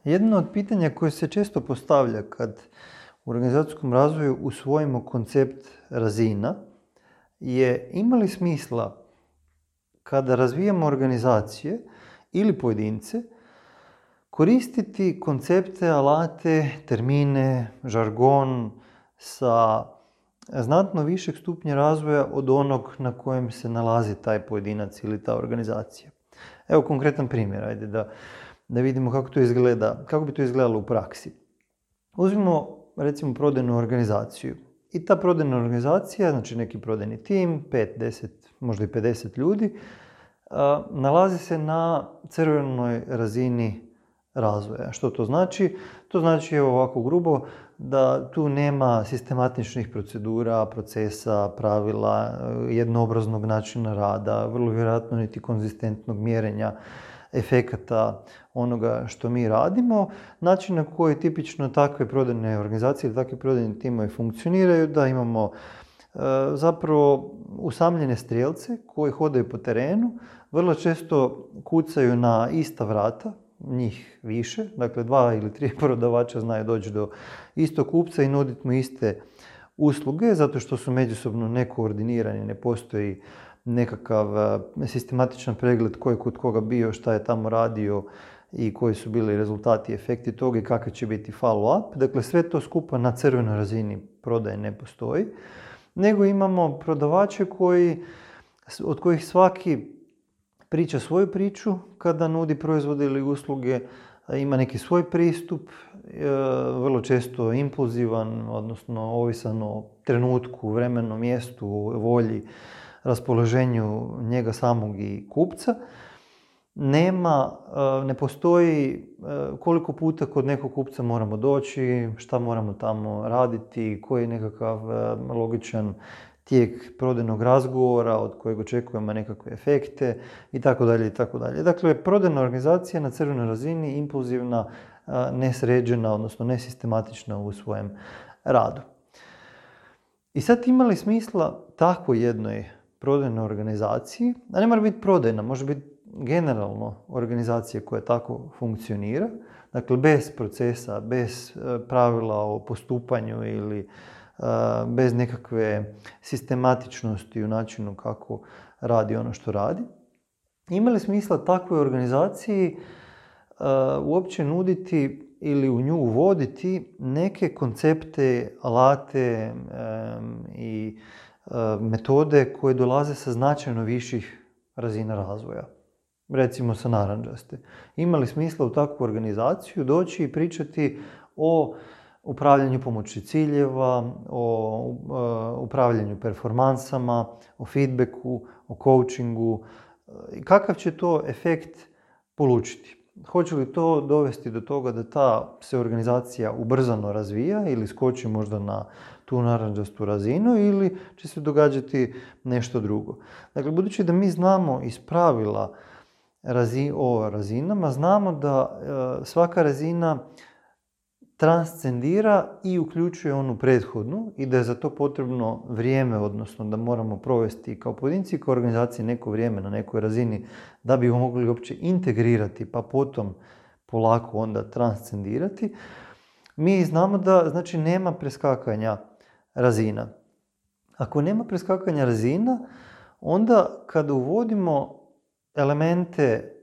Jedno od pitanja koje se često postavlja kad u organizacijskom razvoju usvojimo koncept razina je ima li smisla kada razvijamo organizacije ili pojedince koristiti koncepte, alate, termine, žargon sa znatno višeg stupnja razvoja od onog na kojem se nalazi taj pojedinac ili ta organizacija. Evo konkretan primjer, ajde da vidimo kako to izgleda, kako bi to izgledalo u praksi. Uzmimo recimo prodajnu organizaciju i ta prodajna organizacija, znači neki prodajni tim, 5, 10, možda i 50 ljudi, nalazi se na crvenoj razini razvoja. Što to znači? To znači ovako grubo da tu nema sistematičnih procedura, procesa, pravila, jednoobraznog načina rada, vrlo vjerojatno niti konzistentnog mjerenja efekata onoga što mi radimo. Način na koji tipično takve prodajne organizacije ili takvi prodajni timovi funkcioniraju, da imamo zapravo usamljene strijelce koji hodaju po terenu, vrlo često kucaju na ista vrata, njih više, dakle 2 ili 3 prodavača znaju doći do istog kupca i nuditi mu iste usluge, zato što su međusobno nekoordinirani, ne postoji nekakav sistematičan pregled ko je kod koga bio, šta je tamo radio i koji su bili rezultati i efekti toga i kakav će biti follow-up. Dakle, sve to skupa na crvenoj razini prodaje ne postoji, nego imamo prodavače od kojih svaki priča svoju priču kada nudi proizvode ili usluge, ima neki svoj pristup, vrlo često impulzivan, odnosno ovisan o trenutku, vremenu, mjestu, volji, raspoloženju njega samog i kupca. Ne postoji koliko puta kod nekog kupca moramo doći, šta moramo tamo raditi, koji je nekakav logičan tijek prodajnog razgovora od kojeg očekujemo nekakve efekte itd. itd. Dakle, prodajna organizacija na crvenoj razini, impulzivna, nesređena, odnosno nesistematična u svojem radu. I sad ima li smisla tako jednoj prodajnoj organizaciji, a ne mora biti prodajna, može biti generalno organizacija koja tako funkcionira, dakle bez procesa, bez pravila o postupanju ili bez nekakve sistematičnosti u načinu kako radi ono što radi. Ima li smisla takvoj organizaciji uopće nuditi ili u nju uvoditi neke koncepte, alate i metode koje dolaze sa značajno viših razina razvoja? Recimo sa narandžaste. Ima li smisla u takvu organizaciju doći i pričati o upravljanju pomoću ciljeva, o upravljanju performansama, o feedbacku, o coachingu? Kakav će to efekt polučiti? Hoće li to dovesti do toga da ta se organizacija ubrzano razvija ili skoči možda na tu narandžastu razinu ili će se događati nešto drugo? Dakle, budući da mi znamo iz pravila o razinama, znamo da svaka razina transcendira i uključuje onu prethodnu i da je za to potrebno vrijeme, odnosno da moramo provesti kao pojedinci i kao organizacije neko vrijeme na nekoj razini da bi mogli uopće integrirati pa potom polako onda transcendirati. Mi znamo da znači nema preskakanja razina. Ako nema preskakanja razina, onda kada uvodimo elemente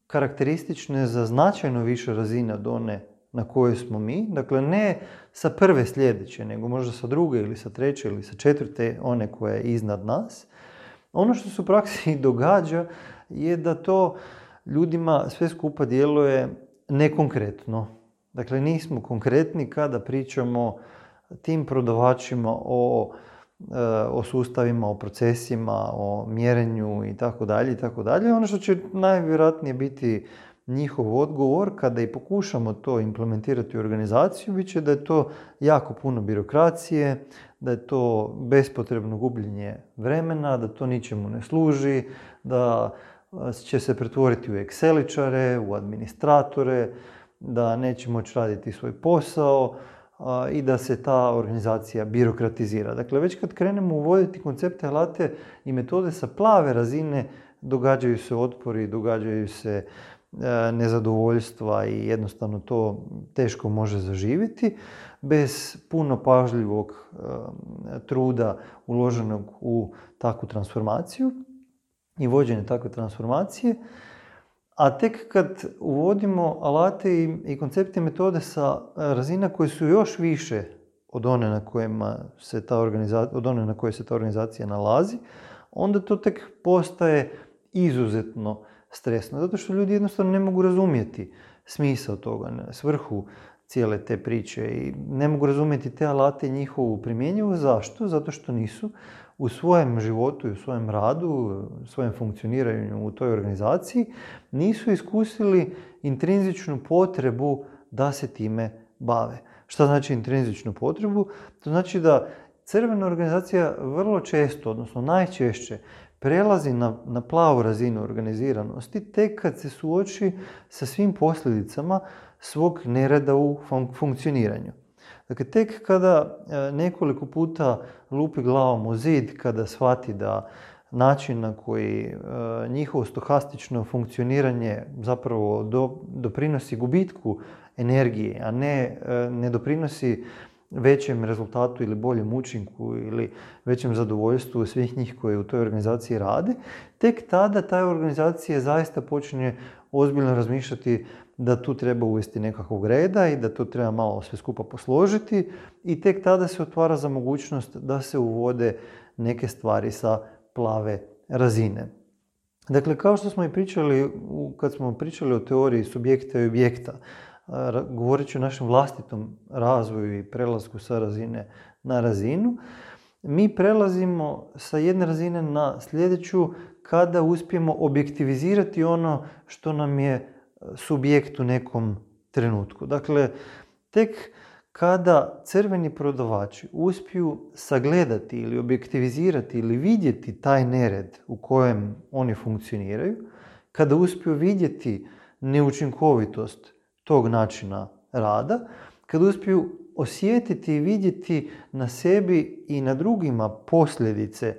karakteristične za značajno više razine od one na kojoj smo mi, dakle ne sa prve sljedeće, nego možda sa druge ili sa treće ili sa četvrte, one koja je iznad nas. Ono što se u praksi događa je da to ljudima sve skupa djeluje nekonkretno. Dakle, nismo konkretni kada pričamo tim prodavačima o sustavima, o procesima, o mjerenju i tako dalje. Ono što će najvjerojatnije biti njihov odgovor kada i pokušamo to implementirati u organizaciju, bit će da je to jako puno birokracije, da je to bespotrebno gubljenje vremena, da to ničemu ne služi, da će se pretvoriti u Exceličare, u administratore, da neće moći raditi svoj posao i da se ta organizacija birokratizira. Dakle, već kad krenemo uvoditi koncepte, alate i metode sa plave razine, događaju se otpori, događaju se nezadovoljstva i jednostavno to teško može zaživjeti bez puno pažljivog truda uloženog u takvu transformaciju i vođenje takve transformacije. A tek kad uvodimo alate i koncepte i metode sa razina koje su još više od one na koje se ta organizacija nalazi, onda to tek postaje izuzetno stresno. Zato što ljudi jednostavno ne mogu razumjeti smisao toga, svrhu cijele te priče i ne mogu razumjeti te alate i njihovu primjenjivost. Zašto? Zato što nisu u svojem životu i u svojem radu, u svojem funkcioniranju u toj organizaciji, nisu iskusili intrinzičnu potrebu da se time bave. Šta znači intrinzičnu potrebu? To znači da crvena organizacija vrlo često, odnosno najčešće, prelazi na plavu razinu organiziranosti tek kad se suoči sa svim posljedicama svog nereda u funkcioniranju. Dakle, tek kada nekoliko puta lupi glavom u zid, kada shvati da način na koji njihovo stohastično funkcioniranje zapravo doprinosi gubitku energije, a ne doprinosi većem rezultatu ili boljem učinku ili većem zadovoljstvu svih njih koji u toj organizaciji rade, tek tada ta organizacija zaista počinje ozbiljno razmišljati da tu treba uvesti nekakvog reda i da to treba malo sve skupa posložiti i tek tada se otvara za mogućnost da se uvode neke stvari sa plave razine. Dakle, kao što smo i pričali kad smo pričali o teoriji subjekta i objekta, govoreći o našem vlastitom razvoju i prelasku sa razine na razinu, mi prelazimo sa jedne razine na sljedeću kada uspijemo objektivizirati ono što nam je subjekt u nekom trenutku. Dakle, tek kada crveni prodavači uspiju sagledati ili objektivizirati ili vidjeti taj nered u kojem oni funkcioniraju, kada uspiju vidjeti neučinkovitost tog načina rada, kada uspiju osjetiti i vidjeti na sebi i na drugima posljedice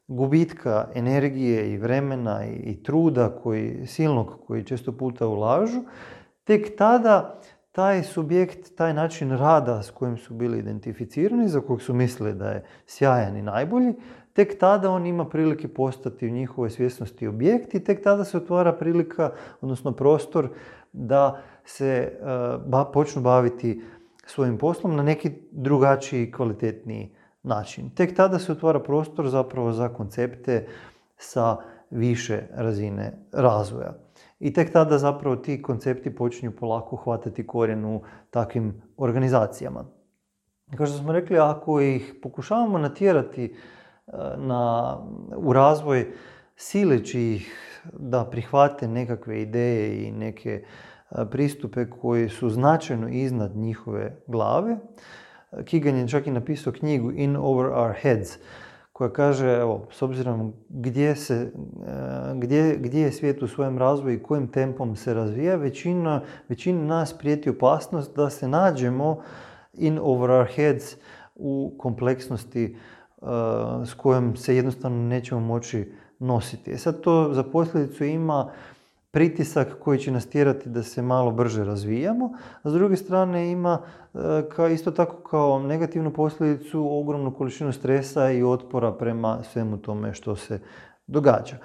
gubitka energije i vremena i truda silnog koji često puta ulažu, tek tada taj subjekt, taj način rada s kojim su bili identificirani, za kojeg su mislili da je sjajan i najbolji, tek tada on ima prilike postati u njihovoj svjesnosti objekt i tek tada se otvara prilika, odnosno prostor da se počnu baviti svojim poslom na neki drugačiji, kvalitetniji način. Tek tada se otvara prostor zapravo za koncepte sa više razine razvoja. I tek tada zapravo ti koncepti počinju polako hvatati korijen u takvim organizacijama. Kao što smo rekli, ako ih pokušavamo natjerati u razvoj sileći ih da prihvate nekakve ideje i neke pristupe koji su značajno iznad njihove glave, Kegan je čak i napisao knjigu In Over Our Heads, koja kaže, evo, s obzirom gdje je svijet u svojem razvoju i kojim tempom se razvija, većina nas prijeti opasnost da se nađemo in over our heads u kompleksnosti s kojom se jednostavno nećemo moći nositi. Sad to za posljedicu ima pritisak koji će nas tjerati da se malo brže razvijamo, a s druge strane ima isto tako kao negativnu posljedicu ogromnu količinu stresa i otpora prema svemu tome što se događa.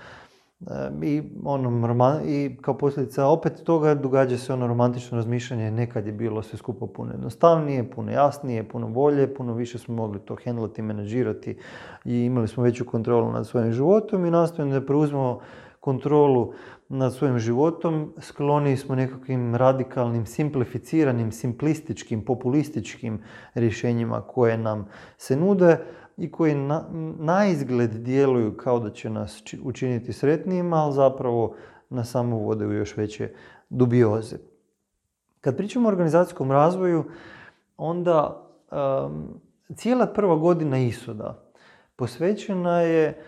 I kao posljedica opet toga događa se ono romantično razmišljanje, nekad je bilo sve skupo puno jednostavnije, puno jasnije, puno bolje, puno više smo mogli to handlati, menadžirati i imali smo veću kontrolu nad svojim životom i nastojimo da preuzmemo kontrolu nad svojim životom, skloni smo nekakvim radikalnim, simplificiranim, simplističkim, populističkim rješenjima koje nam se nude i koji na izgled djeluju kao da će nas učiniti sretnijima, ali zapravo nas samo vode u još veće dubioze. Kad pričamo o organizacijskom razvoju, onda cijela prva godina ISOD-a posvećena je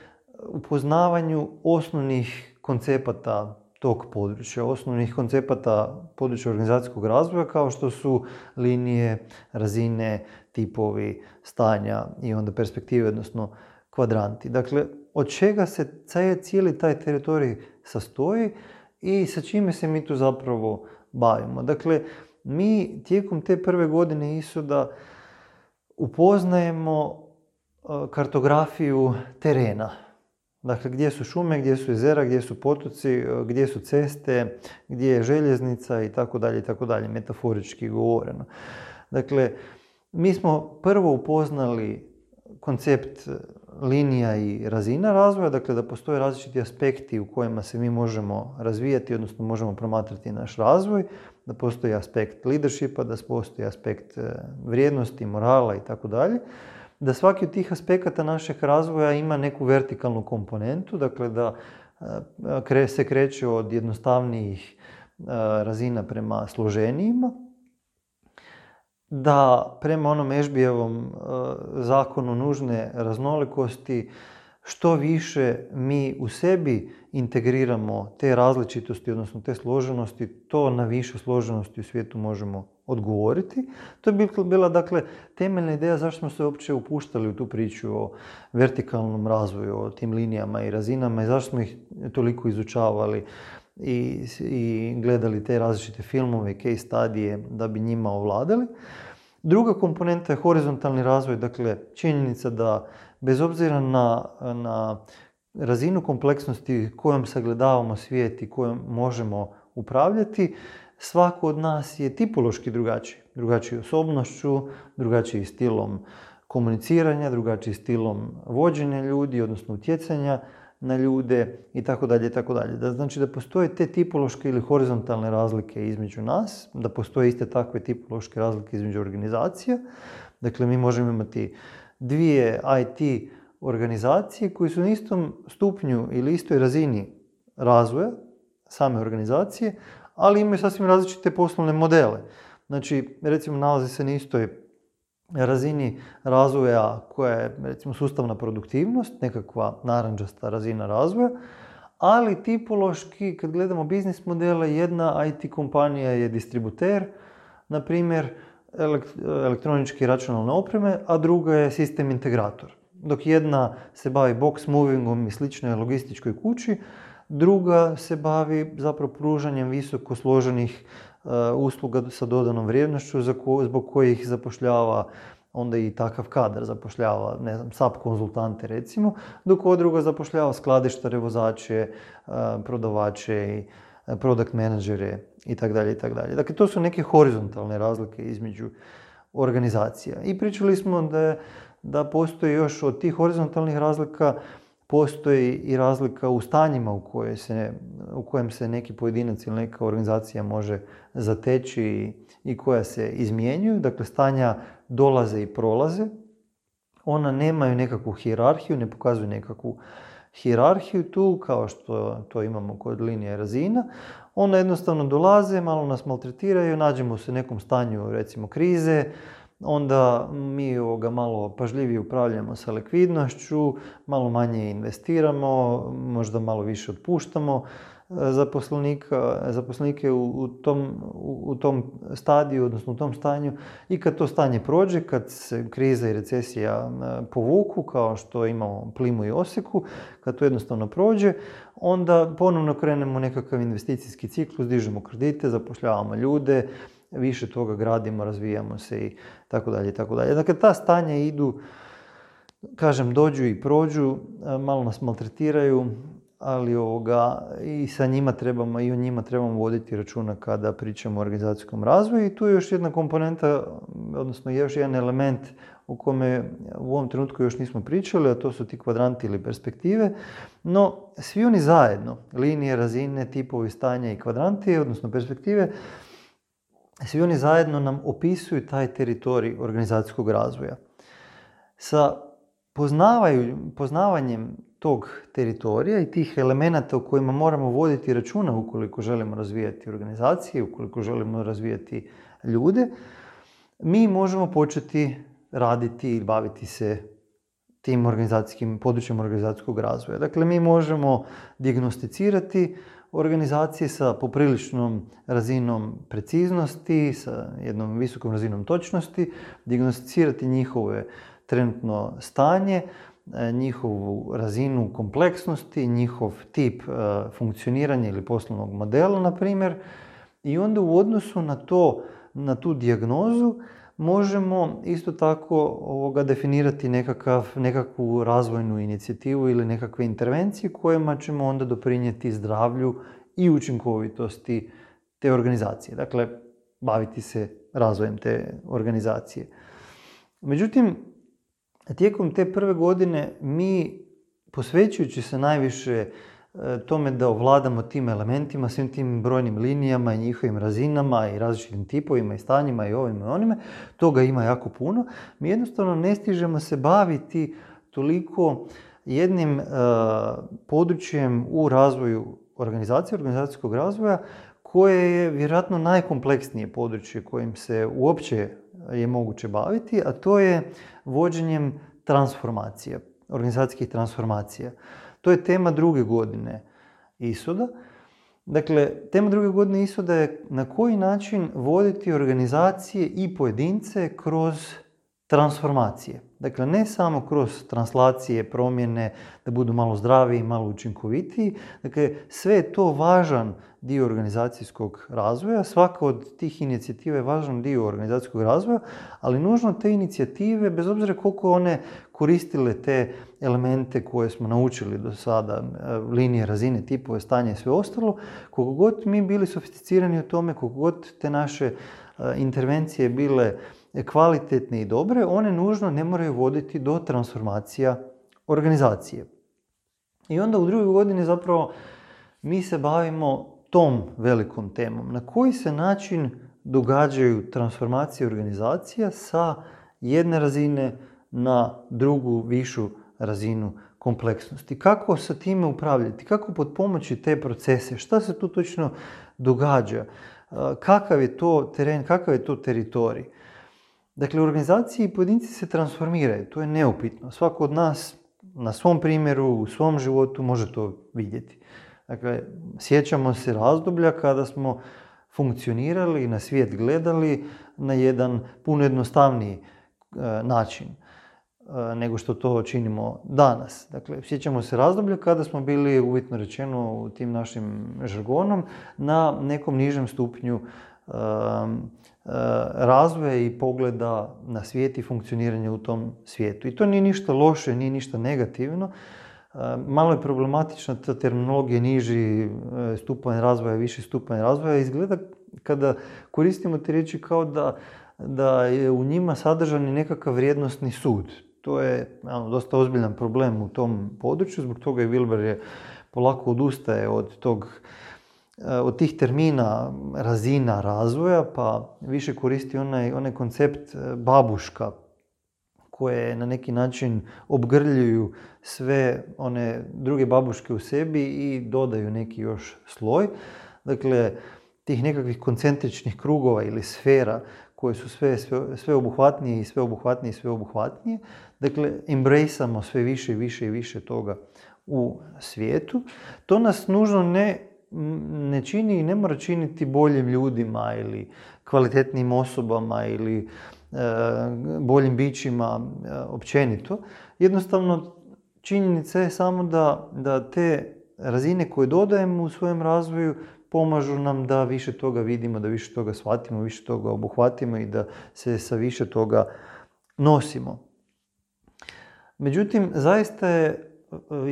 upoznavanju osnovnih koncepata tog područja, osnovnih koncepata područja organizacijskog razvoja kao što su linije, razine, tipovi, stanja i onda perspektive, odnosno kvadranti. Dakle, od čega se cijeli taj teritorij sastoji i sa čime se mi tu zapravo bavimo. Dakle, mi tijekom te prve godine ISOD-a upoznajemo kartografiju terena. Dakle, gdje su šume, gdje su jezera, gdje su potoci, gdje su ceste, gdje je željeznica i tako dalje, metaforički govoreno. Dakle, mi smo prvo upoznali koncept linija i razina razvoja, dakle da postoje različiti aspekti u kojima se mi možemo razvijati, odnosno možemo promatrati naš razvoj, da postoji aspekt leadershipa, da postoji aspekt vrijednosti, morala i tako dalje. Da svaki od tih aspekata našeg razvoja ima neku vertikalnu komponentu, dakle da se kreće od jednostavnijih razina prema složenijima, da prema onom Ešbijevom zakonu nužne raznolikosti što više mi u sebi integriramo te različitosti, odnosno te složenosti, to na više složenosti u svijetu možemo odgovoriti. To je bila dakle temeljna ideja zašto smo se uopće upuštali u tu priču o vertikalnom razvoju, o tim linijama i razinama i zašto smo ih toliko izučavali i gledali te različite filmove i case studije da bi njima ovladali. Druga komponenta je horizontalni razvoj, dakle činjenica da bez obzira na razinu kompleksnosti kojom sagledavamo svijet i kojom možemo upravljati, svako od nas je tipološki drugačiji. Drugačiji osobnošću, drugačiji stilom komuniciranja, drugačiji stilom vođenja ljudi, odnosno utjecanja na ljude i tako dalje. Znači da postoje te tipološke ili horizontalne razlike između nas, da postoje iste takve tipološke razlike između organizacija. Dakle, mi možemo imati dvije IT organizacije koje su na istom stupnju ili istoj razini razvoja same organizacije, ali imaju sasvim različite poslovne modele. Znači, recimo, nalazi se na istoj razini razvoja koja je, recimo, sustavna produktivnost, nekakva narančasta razina razvoja, ali tipološki, kad gledamo biznis modele, jedna IT kompanija je distributer, na primjer, elektroničke i računalne opreme, a druga je sistem integrator. Dok jedna se bavi box movingom i sličnoj logističkoj kući, druga se bavi zapravo pružanjem visoko složenih usluga sa dodanom vrijednošću zbog kojih zapošljava onda i takav kadar, zapošljava, ne znam, SAP konzultante recimo, dok ova druga zapošljava skladištare, vozače, prodavače i product menadžere itd. Dakle, to su neke horizontalne razlike između organizacija. I pričali smo da postoji još od tih horizontalnih razlika, postoji i razlika u stanjima u kojem se neki pojedinac ili neka organizacija može zateći i koja se izmjenjuju. Dakle, stanja dolaze i prolaze. Ona nemaju nekakvu hijerarhiju, ne pokazuju nekakvu hijerarhiju tu, kao što to imamo kod linije razina. Ona jednostavno dolaze, malo nas maltretiraju, nađemo se u nekom stanju, recimo, krize, onda mi malo pažljivije upravljamo sa likvidnošću, malo manje investiramo, možda malo više otpuštamo zaposlenike u tom stadiju, odnosno u tom stanju. I kad to stanje prođe, kad se kriza i recesija povuku, kao što imamo plimu i Osijeku, kad to jednostavno prođe, onda ponovno krenemo nekakav investicijski ciklus, dižemo kredite, zapošljavamo ljude, više toga gradimo, razvijamo se i tako dalje. Dakle, ta stanja idu, dođu i prođu, malo nas maltretiraju, ali i sa njima trebamo, i o njima trebamo voditi računa kada pričamo o organizacijskom razvoju. I tu je još jedna komponenta, odnosno još jedan element o kome u ovom trenutku još nismo pričali, a to su ti kvadranti ili perspektive. No, svi oni zajedno, linije, razine, tipovi stanja i kvadranti, odnosno perspektive, svi oni zajedno nam opisuju taj teritorij organizacijskog razvoja. Sa poznavanjem tog teritorija i tih elemenata u kojima moramo voditi računa ukoliko želimo razvijati organizacije, ukoliko želimo razvijati ljude, mi možemo početi raditi i baviti se tim područjem organizacijskog razvoja. Dakle, mi možemo dijagnosticirati organizacije sa popriličnom razinom preciznosti, sa jednom visokom razinom točnosti, dijagnosticirati njihove trenutno stanje, njihovu razinu kompleksnosti, njihov tip funkcioniranja ili poslovnog modela, na primjer, i onda u odnosu na tu dijagnozu možemo isto tako definirati nekakvu razvojnu inicijativu ili nekakve intervencije kojima ćemo onda doprinijeti zdravlju i učinkovitosti te organizacije. Dakle, baviti se razvojem te organizacije. Međutim, tijekom te prve godine mi, posvećujući se najviše tome da ovladamo tim elementima, svim tim brojnim linijama i njihovim razinama i različitim tipovima i stanjima i ovime i onime, toga ima jako puno. Mi jednostavno ne stižemo se baviti toliko jednim područjem u razvoju organizacije, organizacijskog razvoja, koje je vjerojatno najkompleksnije područje kojim se uopće je moguće baviti, a to je vođenjem transformacija, organizacijskih transformacija. To je tema druge godine ISOD-a. Dakle, tema druge godine ISOD-a je na koji način voditi organizacije i pojedince kroz transformacije. Dakle, ne samo kroz translacije, promjene, da budu malo zdraviji, malo učinkovitiji. Dakle, sve je to važan dio organizacijskog razvoja. Svaka od tih inicijativa je važan dio organizacijskog razvoja, ali nužno te inicijative, bez obzira koliko one koristile te elemente koje smo naučili do sada, linije, razine, tipove, stanje i sve ostalo, koliko god mi bili sofisticirani u tome, koliko god te naše intervencije bile kvalitetne i dobre, one nužno ne moraju voditi do transformacija organizacije. I onda u drugoj godini zapravo mi se bavimo tom velikom temom. Na koji se način događaju transformacije organizacija sa jedne razine na drugu, višu razinu kompleksnosti. Kako sa time upravljati? Kako potpomoći te procese? Šta se tu točno događa? Kakav je to teren? Kakav je to teritorij? Dakle, organizacije i pojedinci se transformiraju. To je neupitno. Svako od nas na svom primjeru, u svom životu može to vidjeti. Dakle, sjećamo se razdoblja kada smo funkcionirali i na svijet gledali na jedan puno jednostavniji način nego što to činimo danas. Dakle, sjećamo se razdoblja kada smo bili, uvjetno rečeno, u tim našim žargonom, na nekom nižem stupnju razvoja i pogleda na svijet i funkcioniranje u tom svijetu. I to nije ništa loše, nije ništa negativno. Malo je problematična ta terminologija niži stupanj razvoja, viši stupanj razvoja. Izgleda kada koristimo te riječi kao da je u njima sadržan nekakav vrijednosni sud. To je dosta ozbiljan problem u tom području, zbog toga i Wilber polako odustaje od tih termina razina razvoja, pa više koristi onaj koncept babuška, koje na neki način obgrljuju sve one druge babuške u sebi i dodaju neki još sloj. Dakle, tih nekakvih koncentričnih krugova ili sfera koje su sve obuhvatnije i sve obuhvatnije i sve obuhvatnije. Dakle, embraceamo sve više i više i više toga u svijetu. To nas nužno ne čini i ne mora činiti boljim ljudima ili kvalitetnim osobama ili boljim bićima općenito. Jednostavno, činjenica je samo da te razine koje dodajemo u svojem razvoju pomažu nam da više toga vidimo, da više toga shvatimo, više toga obuhvatimo i da se sa više toga nosimo. Međutim, zaista je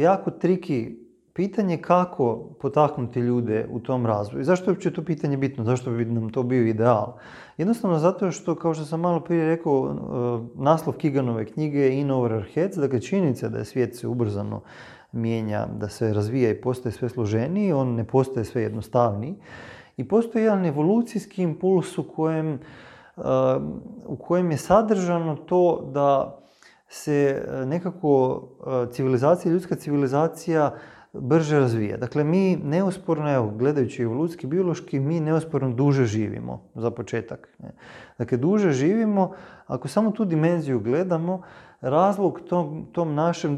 jako triki pitanje kako potaknuti ljude u tom razvoju. Zašto je uopće to pitanje bitno? Zašto bi nam to bio ideal? Jednostavno zato što, kao što sam malo prije rekao, naslov Keganove knjige je In Over Our Heads, dakle činjenica da je svijet se ubrzano mijenja, da se razvija i postaje sve složeniji, on ne postaje sve jednostavniji. I postoji jedan evolucijski impuls u kojem je sadržano to da se nekako ljudska civilizacija brže razvija. Dakle, mi neosporno, evo, gledajući evolucijski, biološki, mi neosporno duže živimo, za početak. Dakle, duže živimo, ako samo tu dimenziju gledamo, razlog tom našem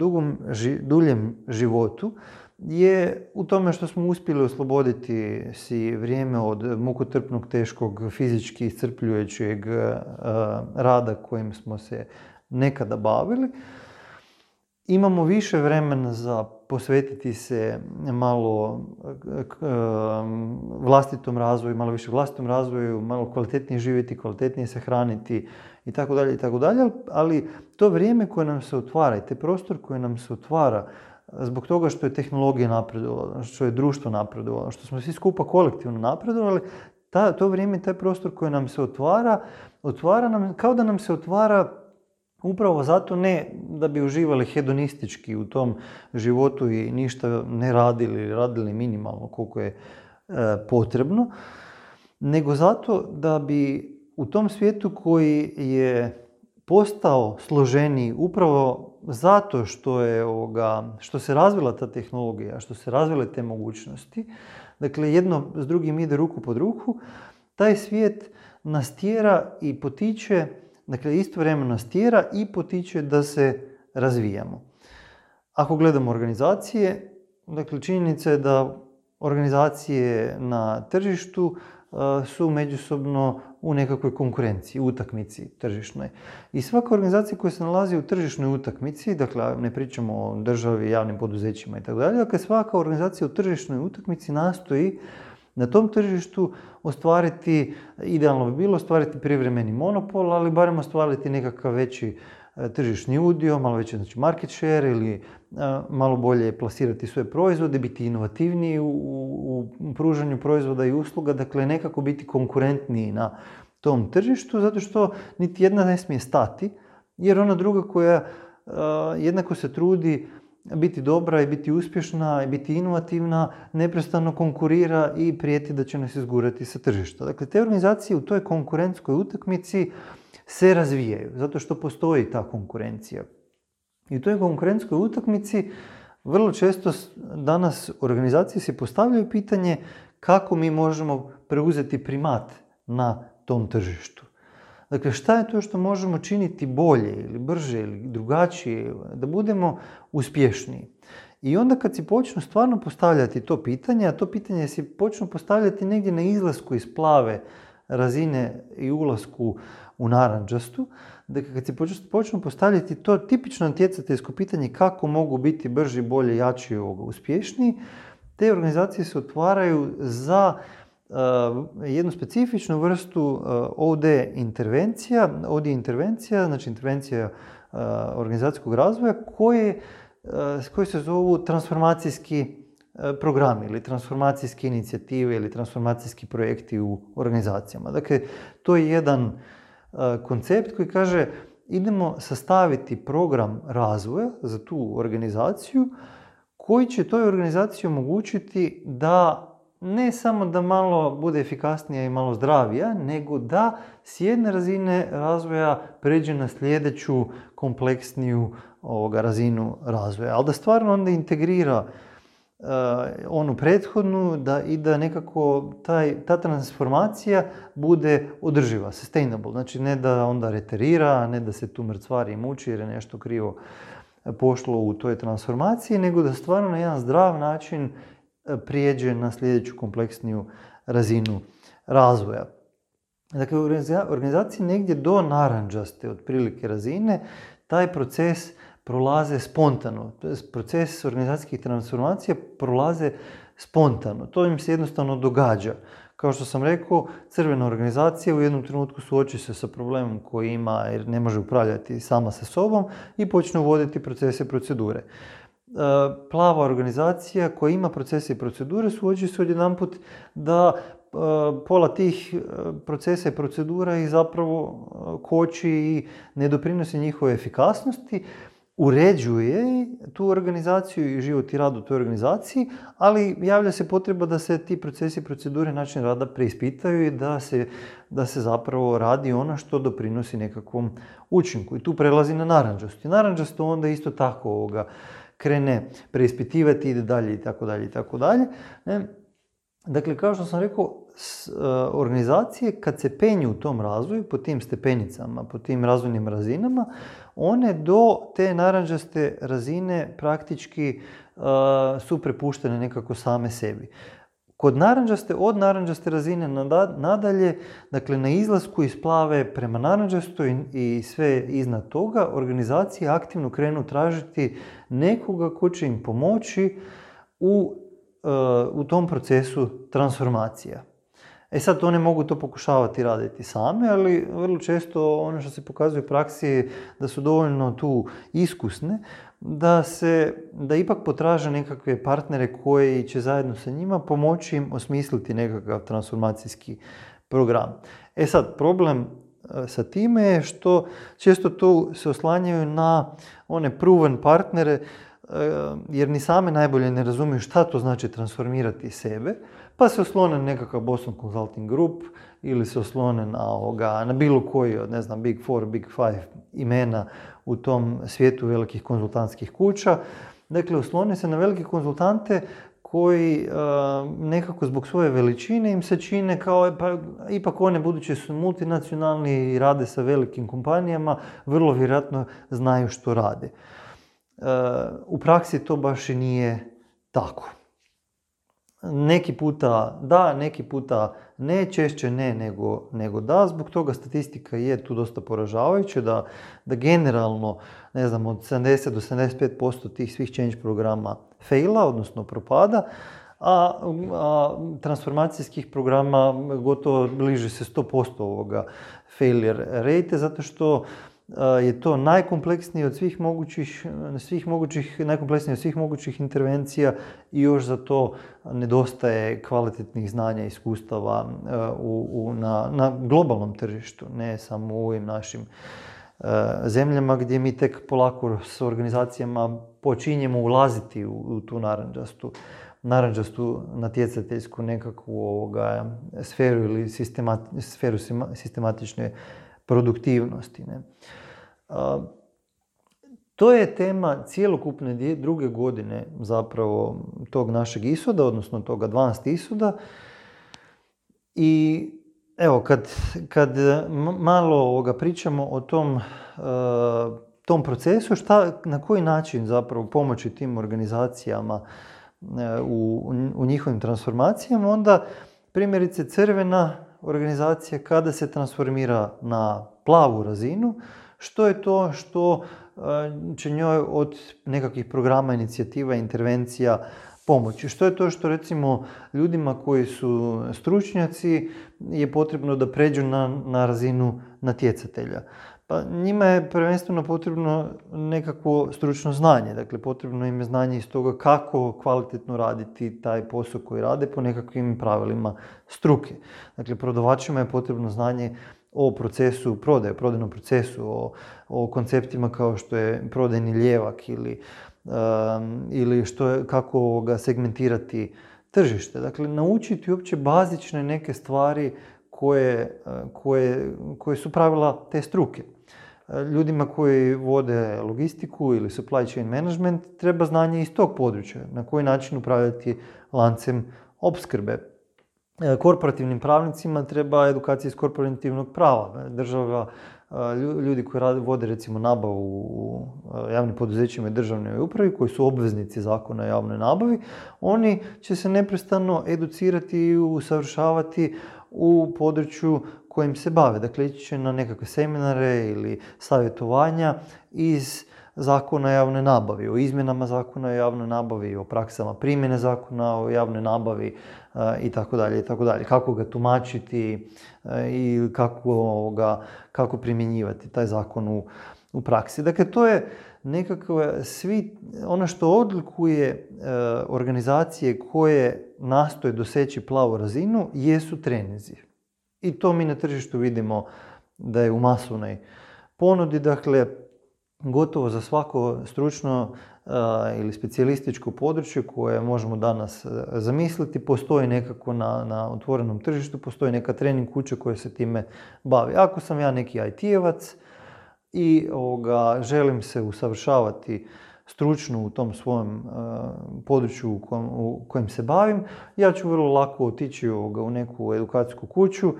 duljem životu je u tome što smo uspjeli osloboditi si vrijeme od mukotrpnog, teškog, fizički iscrpljujućeg rada kojim smo se nekada bavili. imamo više vremena za posvetiti se malo vlastitom razvoju, malo više vlastitom razvoju, malo kvalitetnije živjeti, kvalitetnije se hraniti i tako dalje, ali to vrijeme koje nam se otvara i taj prostor koji nam se otvara zbog toga što je tehnologija napredovala, što je društvo napredovalo, što smo svi skupa kolektivno napredovali, to vrijeme, taj prostor koji nam se otvara nam, kao da nam se otvara upravo zato ne da bi uživali hedonistički u tom životu i ništa ne radili minimalno koliko je potrebno, nego zato da bi u tom svijetu koji je postao složeniji upravo zato što se razvila ta tehnologija, što se razvile te mogućnosti, dakle jedno s drugim ide ruku pod ruku, taj svijet nas tjera i potiče, dakle istovremeno nas tjera i potiče da se razvijamo. Ako gledamo organizacije, dakle činjenica je da organizacije na tržištu su međusobno u nekakvoj konkurenciji, utakmici tržišnoj. I svaka organizacija koja se nalazi u tržišnoj utakmici, dakle ne pričamo o državi, javnim poduzećima itd., dakle svaka organizacija u tržišnoj utakmici nastoji na tom tržištu ostvariti, idealno bi bilo ostvariti privremeni monopol, ali barem ostvariti nekakav veći tržišni udio, malo veći znači market share ili malo bolje plasirati svoje proizvode, biti inovativniji u pružanju proizvoda i usluga, dakle nekako biti konkurentniji na tom tržištu, zato što niti jedna ne smije stati, jer ona druga koja jednako se trudi biti dobra i biti uspješna i biti inovativna, neprestano konkurira i prijeti da će nas izgurati sa tržišta. Dakle, te organizacije u toj konkurentskoj utakmici se razvijaju, zato što postoji ta konkurencija. I u toj konkurentskoj utakmici vrlo često danas organizacije se postavljaju pitanje kako mi možemo preuzeti primat na tom tržištu. Dakle, šta je to što možemo činiti bolje ili brže ili drugačije, da budemo uspješniji. I onda kad si počnu stvarno postavljati to pitanje, a to pitanje si počnu postavljati negdje na izlasku iz plave razine i ulasku u narančastu, dakle kad si počnu postavljati to tipično natjecateljsko pitanje kako mogu biti brži, bolje, jači, uspješniji, te organizacije se otvaraju za jednu specifičnu vrstu OD intervencija, znači intervencija organizacijskog razvoja koje se zovu transformacijski programi ili transformacijske inicijative ili transformacijski projekti u organizacijama. Dakle, to je jedan koncept koji kaže idemo sastaviti program razvoja za tu organizaciju koji će toj organizaciji omogućiti da ne samo da malo bude efikasnija i malo zdravija, nego da s jedne razine razvoja pređe na sljedeću kompleksniju razinu razvoja. Ali da stvarno onda integrira onu prethodnu i da nekako ta transformacija bude održiva, sustainable. Znači ne da onda reterira, ne da se tu mrcvari i muči jer je nešto krivo pošlo u toj transformaciji, nego da stvarno na jedan zdrav način prijeđe na sljedeću kompleksniju razinu razvoja. Dakle, u organizaciji negdje do narančaste otprilike razine taj proces prolaze spontano. Proces organizacijskih transformacija prolaze spontano. To im se jednostavno događa. Kao što sam rekao, crvena organizacija u jednom trenutku suoči se sa problemom koji ima jer ne može upravljati sama sa sobom i počne uvoditi procese i procedure. Plava organizacija koja ima procese i procedure suoči se odjedanput da pola tih procesa i procedura i zapravo koči i ne doprinosi njihove efikasnosti, uređuje tu organizaciju i život i rad u toj organizaciji, ali javlja se potreba da se ti procesi i procedure, način rada preispitaju i da se zapravo radi ono što doprinosi nekakvom učinku. I tu prelazi na narančasto. I narančasto onda isto tako krene preispitivati, ide dalje i tako dalje. Dakle, kao što sam rekao, organizacije kad se penju u tom razvoju, po tim stepenicama, po tim razvojnim razinama, one do te narančaste razine praktički su prepuštene nekako same sebi. Kod od naranđaste razine nadalje, dakle na izlasku iz plave prema naranđastoj i sve iznad toga, organizacije aktivno krenu tražiti nekoga ko će im pomoći u tom procesu transformacija. Sad one mogu to pokušavati raditi same, ali vrlo često ono što se pokazuje u praksi je da su dovoljno tu iskusne, da ipak potraže nekakve partnere koji će zajedno sa njima pomoći im osmisliti nekakav transformacijski program. Sad, problem sa time je što često tu se oslanjaju na one proven partnere, jer ni same najbolje ne razumiju šta to znači transformirati sebe, pa se oslone na nekakav Boston Consulting Group ili se oslone na bilo koji od, ne znam, Big Four, Big Five imena u tom svijetu velikih konzultantskih kuća. Dakle, oslone se na velike konzultante koji nekako zbog svoje veličine im se čine kao, pa ipak one budući su multinacionalni i rade sa velikim kompanijama, vrlo vjerojatno znaju što rade. U praksi to baš i nije tako. Neki puta da, neki puta ne, češće ne nego da. Zbog toga statistika je tu dosta poražavajuća da generalno, ne znam, od 70 do 75% tih svih change programa faila, odnosno propada, a transformacijskih programa gotovo bliže se 100% ovoga failure rate, zato što je to najkompleksnije od najkompleksnije od svih mogućih intervencija i još za to nedostaje kvalitetnih znanja i iskustava na globalnom tržištu, ne samo u ovim našim zemljama gdje mi tek polako s organizacijama počinjemo ulaziti u tu naranđastu natjecateljsku nekakvu sferu ili sferu sistematične produktivnosti. Ne? To je tema cjelokupne druge godine zapravo tog našeg ishoda, odnosno tog advanced ishoda. I evo, kad malo pričamo o tom procesu, na koji način zapravo pomoći tim organizacijama u njihovim transformacijama, onda primjerice crvena organizacija kada se transformira na plavu razinu, što je to što će njoj od nekakvih programa, inicijativa, intervencija pomoći. Što je to što recimo ljudima koji su stručnjaci je potrebno da pređu na razinu natjecatelja. Pa njima je prvenstveno potrebno nekakvo stručno znanje, dakle potrebno im je znanje iz toga kako kvalitetno raditi taj posao koji rade po nekakvim pravilima struke. Dakle, prodavačima je potrebno znanje o procesu prodaje, prodajnom procesu, o konceptima kao što je prodajni lijevak ili kako ga segmentirati tržište. Dakle, naučiti uopće bazične neke stvari koje su pravila te struke. Ljudima koji vode logistiku ili supply chain management treba znanje iz tog područja, na koji način upravljati lancem opskrbe. Korporativnim pravnicima treba edukacija iz korporativnog prava. Država, ljudi koji vode recimo nabavu u javnim poduzećima i državnoj upravi, koji su obveznici zakona o javnoj nabavi, oni će se neprestano educirati i usavršavati u području kojim se bave. Dakle, ići će na nekakve seminare ili savjetovanja iz zakona o javnoj nabavi, o izmjenama zakona o javnoj nabavi, o praksama primjene zakona o javnoj nabavi itd. Kako ga tumačiti i kako primjenjivati taj zakon u praksi. Dakle, to je nekako ono što odlikuje organizacije koje nastoje doseći plavu razinu jesu treninzi. I to mi na tržištu vidimo da je u masovnoj ponudi. Dakle, gotovo za svako stručno ili specijalističko područje koje možemo danas zamisliti, postoji nekako na otvorenom tržištu, postoji neka trening kuća koja se time bavi. Ako sam ja neki IT-evac i želim se usavršavati stručno u tom svojem području u kojem se bavim, ja ću vrlo lako otići u neku edukacijsku kuću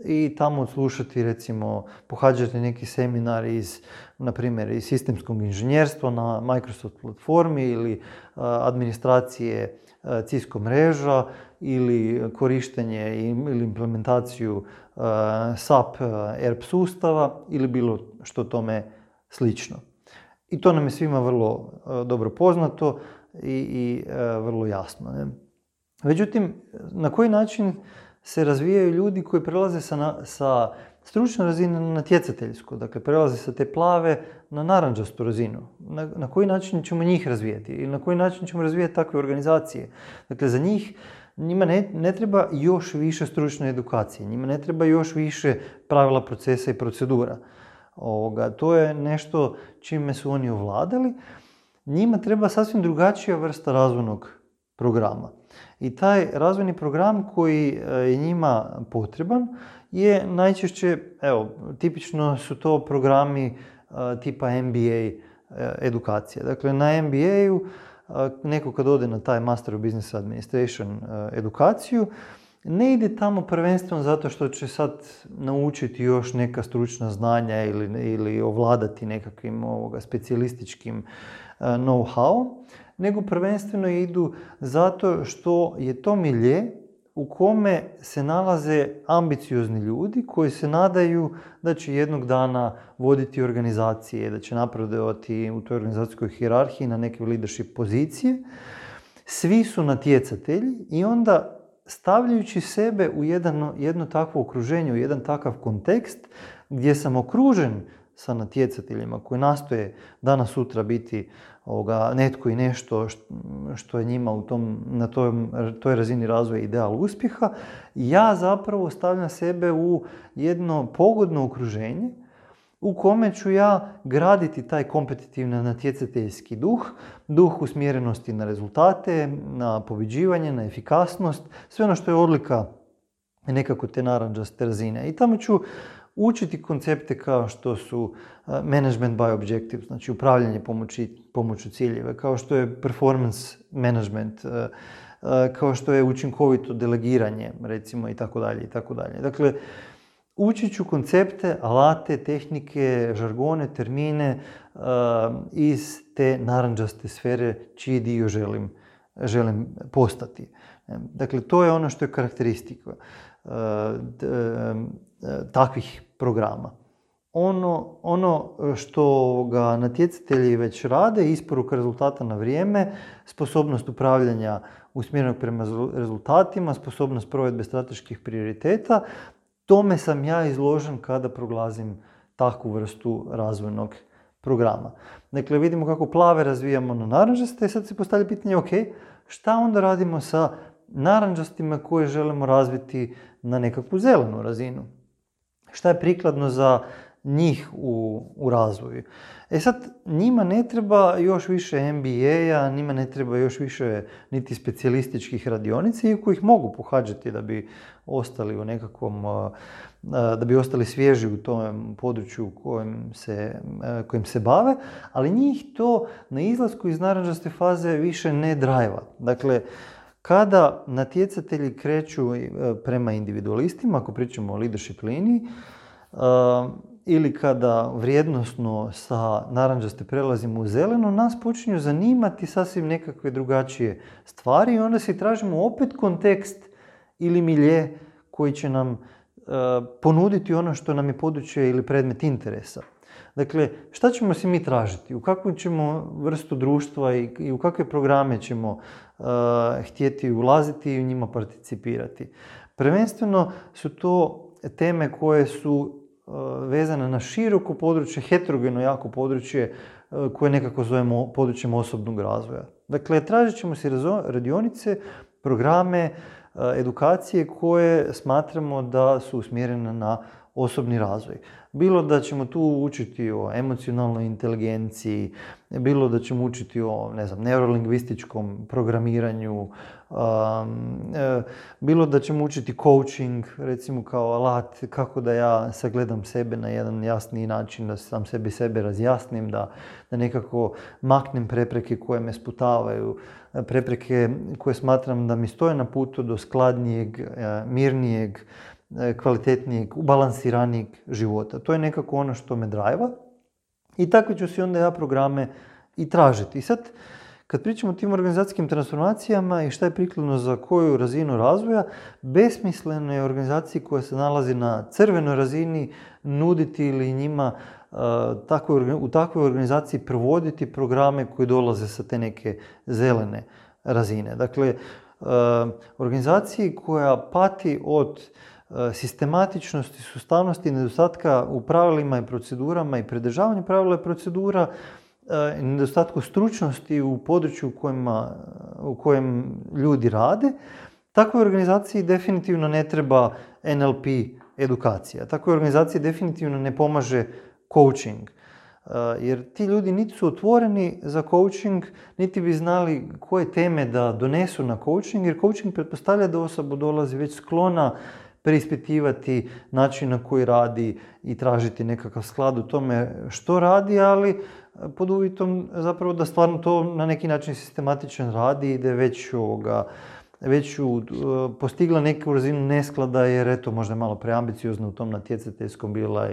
i tamo odslušati, recimo, pohađati neki seminar na primjer, iz sistemskog inženjerstva na Microsoft platformi ili administracije Cisco mreža ili korištenje ili implementaciju SAP ERP sustava ili bilo što tome slično. I to nam je svima vrlo dobro poznato i vrlo jasno. Ne? Međutim, na koji način se razvijaju ljudi koji prelaze sa stručne razine na natjecateljsku, dakle prelaze sa te plave na narančastu razinu. Na koji način ćemo njih razvijati ili na koji način ćemo razvijati takve organizacije? Dakle, za njima ne treba još više stručne edukacije, njima ne treba još više pravila, procesa i procedura. To je nešto čime su oni ovladali. Njima treba sasvim drugačija vrsta razvojnog programa. I taj razvojni program koji je njima potreban je najčešće, tipično su to programi tipa MBA edukacija. Dakle, na MBA-u neko kad ode na taj Master of Business Administration edukaciju, ne ide tamo prvenstveno zato što će sad naučiti još neka stručna znanja ili ovladati nekakvim specijalističkim know-how, nego prvenstveno idu zato što je to milje u kome se nalaze ambiciozni ljudi koji se nadaju da će jednog dana voditi organizacije, da će napredovati u toj organizacijskoj hijerarhiji na neke leadership pozicije. Svi su natjecatelji i onda stavljajući sebe u jedno takvo okruženje, u jedan takav kontekst gdje sam okružen sa natjecateljima koji nastoje danas sutra biti netko i nešto što je njima na toj razini razvoja ideal uspjeha, ja zapravo stavljam sebe u jedno pogodno okruženje u kome ću ja graditi taj kompetitivni natjecateljski duh usmjerenosti na rezultate, na pobjeđivanje, na efikasnost, sve ono što je odlika nekako te narančaste razine. I tamo ću učiti koncepte kao što su management by objectives, znači upravljanje pomoću ciljeva, kao što je performance management, kao što je učinkovito delegiranje, recimo, i tako dalje, i tako dalje. Dakle, učit ću koncepte, alate, tehnike, žargone, termine iz te narančaste sfere čiji dio želim postati. Dakle, to je ono što je karakteristika takvih programa. Ono što ga natjecatelji već rade, isporuka rezultata na vrijeme, sposobnost upravljanja usmjerenog prema rezultatima, sposobnost provedbe strateških prioriteta, tome sam ja izložen kada proglazim takvu vrstu razvojnog programa. Dakle, vidimo kako plave razvijamo na narančaste i sad se postavlja pitanje, šta onda radimo sa narančastima koje želimo razviti na nekakvu zelenu razinu? Šta je prikladno za njih u razvoju? Sad, njima ne treba još više MBA-a, njima ne treba još više niti specijalističkih radionica, iako ih mogu pohađati da bi ostali u nekakvom, da bi ostali svježi u tom području kojim se bave, ali njih to na izlasku iz narančaste faze više ne drajva. Dakle, kada natjecatelji kreću prema individualistima, ako pričamo o leadership liniji, ili kada vrijednosno sa narančaste prelazimo u zeleno, nas počinju zanimati sasvim nekakve drugačije stvari i onda si tražimo opet kontekst ili milje koji će nam ponuditi ono što nam je područje ili predmet interesa. Dakle, šta ćemo si mi tražiti? U kakvu ćemo vrstu društva i u kakve programe ćemo htjeti ulaziti i u njima participirati? Prvenstveno su to teme koje su vezane na široko područje, heterogeno jako područje koje nekako zovemo područjem osobnog razvoja. Dakle, tražit ćemo si radionice, programe, edukacije koje smatramo da su usmjerene na osobni razvoj. Bilo da ćemo tu učiti o emocionalnoj inteligenciji, bilo da ćemo učiti o, neurolingvističkom programiranju, bilo da ćemo učiti coaching, recimo kao alat, kako da ja sagledam sebe na jedan jasniji način, da sam sebe razjasnim, da nekako maknem prepreke koje me sputavaju, prepreke koje smatram da mi stoje na putu do skladnijeg, mirnijeg kvalitetnijeg, balansiranijeg života. To je nekako ono što me drajva i takve ću si onda ja programe i tražiti. I sad, kad pričamo o tim organizacijskim transformacijama i šta je prikladno za koju razinu razvoja, besmisleno je organizaciji koja se nalazi na crvenoj razini nuditi ili njima u takvoj organizaciji provoditi programe koji dolaze sa te neke zelene razine. Dakle, organizaciji koja pati od sistematičnosti, sustavnosti, nedostatka u pravilima i procedurama i pridržavanju pravila i procedura, nedostatku stručnosti u području u kojem ljudi rade, takvoj organizaciji definitivno ne treba NLP edukacija. Takvoj organizaciji definitivno ne pomaže coaching. Jer ti ljudi niti su otvoreni za coaching, niti bi znali koje teme da donesu na coaching, jer coaching pretpostavlja da osoba dolazi već sklona preispitivati način na koji radi i tražiti nekakav sklad u tome što radi, ali pod uvjetom zapravo da stvarno to na neki način sistematičan radi i da je već postigla neku razinu nesklada jer eto možda je malo preambiciozno u tom natjecateljskom bila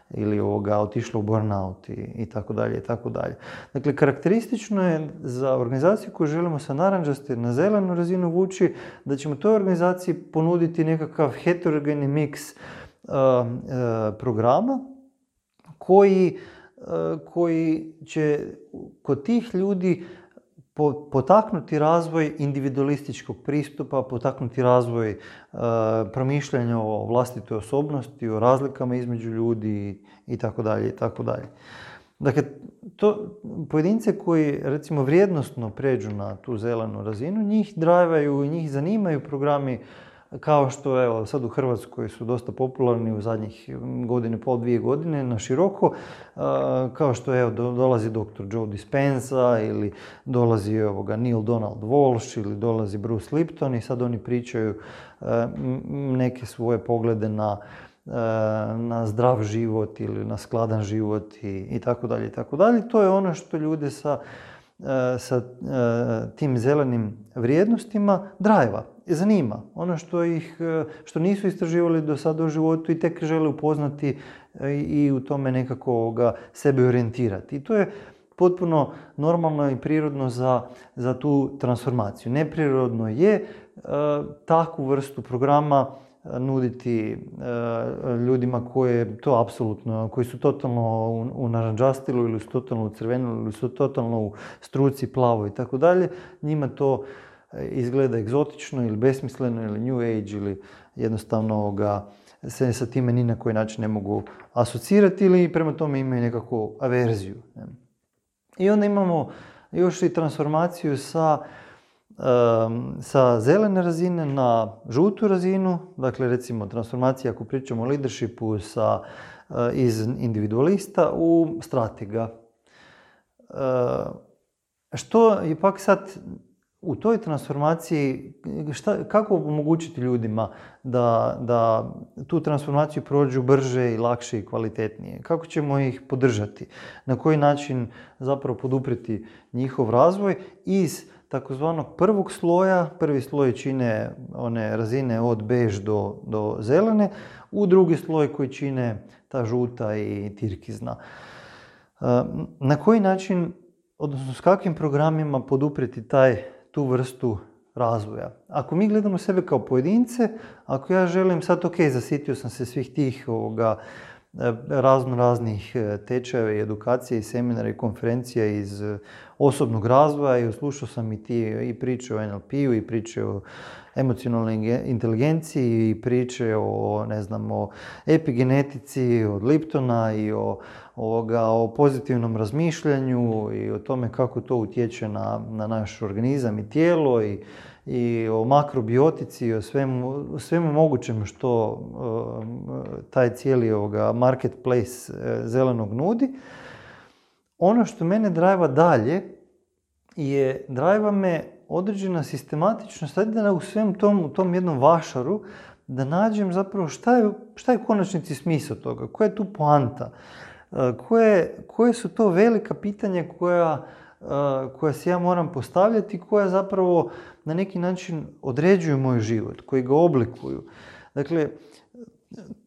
ili otišla u burnout i tako dalje i tako dalje. Dakle, karakteristično je za organizaciju koju želimo sa narančaste na zelenu razinu vući da ćemo toj organizaciji ponuditi nekakav heterogeni miks programa koji će kod tih ljudi potaknuti razvoj individualističkog pristupa, potaknuti razvoj promišljanja o vlastitoj osobnosti, o razlikama između ljudi i tako dalje i tako dalje. Dakle, pojedince koji recimo vrijednosno pređu na tu zelenu razinu, njih drajvaju i njih zanimaju programi kao što evo sad u Hrvatskoj su dosta popularni u zadnjih godinu i pol, 2 godine na široko, kao što evo dolazi dr. Joe Dispenza ili dolazi Neil Donald Walsh ili dolazi Bruce Lipton i sad oni pričaju neke svoje poglede na zdrav život ili na skladan život i tako dalje i tako dalje. To je ono što ljude sa tim zelenim vrijednostima drajva, zanima. Ono što nisu istraživali do sada u životu i tek žele upoznati i u tome nekako sebe orijentirati. I to je potpuno normalno i prirodno za tu transformaciju. Neprirodno je takvu vrstu programa nuditi ljudima koji su totalno u narančastilu ili su totalno u crvenu ili su totalno u struci plavo i tako dalje. Njima to izgleda egzotično ili besmisleno ili new age ili jednostavno se sa time ni na koji način ne mogu asocirati ili prema tome imaju nekakvu averziju. I onda imamo još i transformaciju sa zelene razine na žutu razinu, dakle recimo transformacija ako pričamo o leadershipu iz individualista u stratega. Što je pak sad u toj transformaciji, kako omogućiti ljudima da tu transformaciju prođu brže i lakše i kvalitetnije? Kako ćemo ih podržati? Na koji način zapravo poduprijeti njihov razvoj iz takozvanog prvog sloja, prvi sloj čine one razine od bež do zelene, u drugi sloj koji čine ta žuta i tirkizna. Na koji način, odnosno s kakvim programima poduprijeti tu vrstu razvoja? Ako mi gledamo sebe kao pojedince, ako ja želim sad, zasitio sam se svih tih raznih tečajeva i edukacije i seminara i konferencija iz osobnog razvoja i slušao sam i priče o NLP-u i priče o emocionalnoj inteligenciji i priče o epigenetici od Liptona i o pozitivnom razmišljanju i o tome kako to utječe na naš organizam i tijelo i o makrobiotici i o svemu mogućem što taj cijeli marketplace zelenog nudi. Ono što mene drajva dalje drajva me određena sistematičnost, da u svem tom jednom vašaru da nađem zapravo šta je u konačnici smisao toga, koja je tu poanta, koje su to velika pitanja koja si ja moram postavljati, koja zapravo na neki način određuju moj život, koji ga oblikuju. Dakle,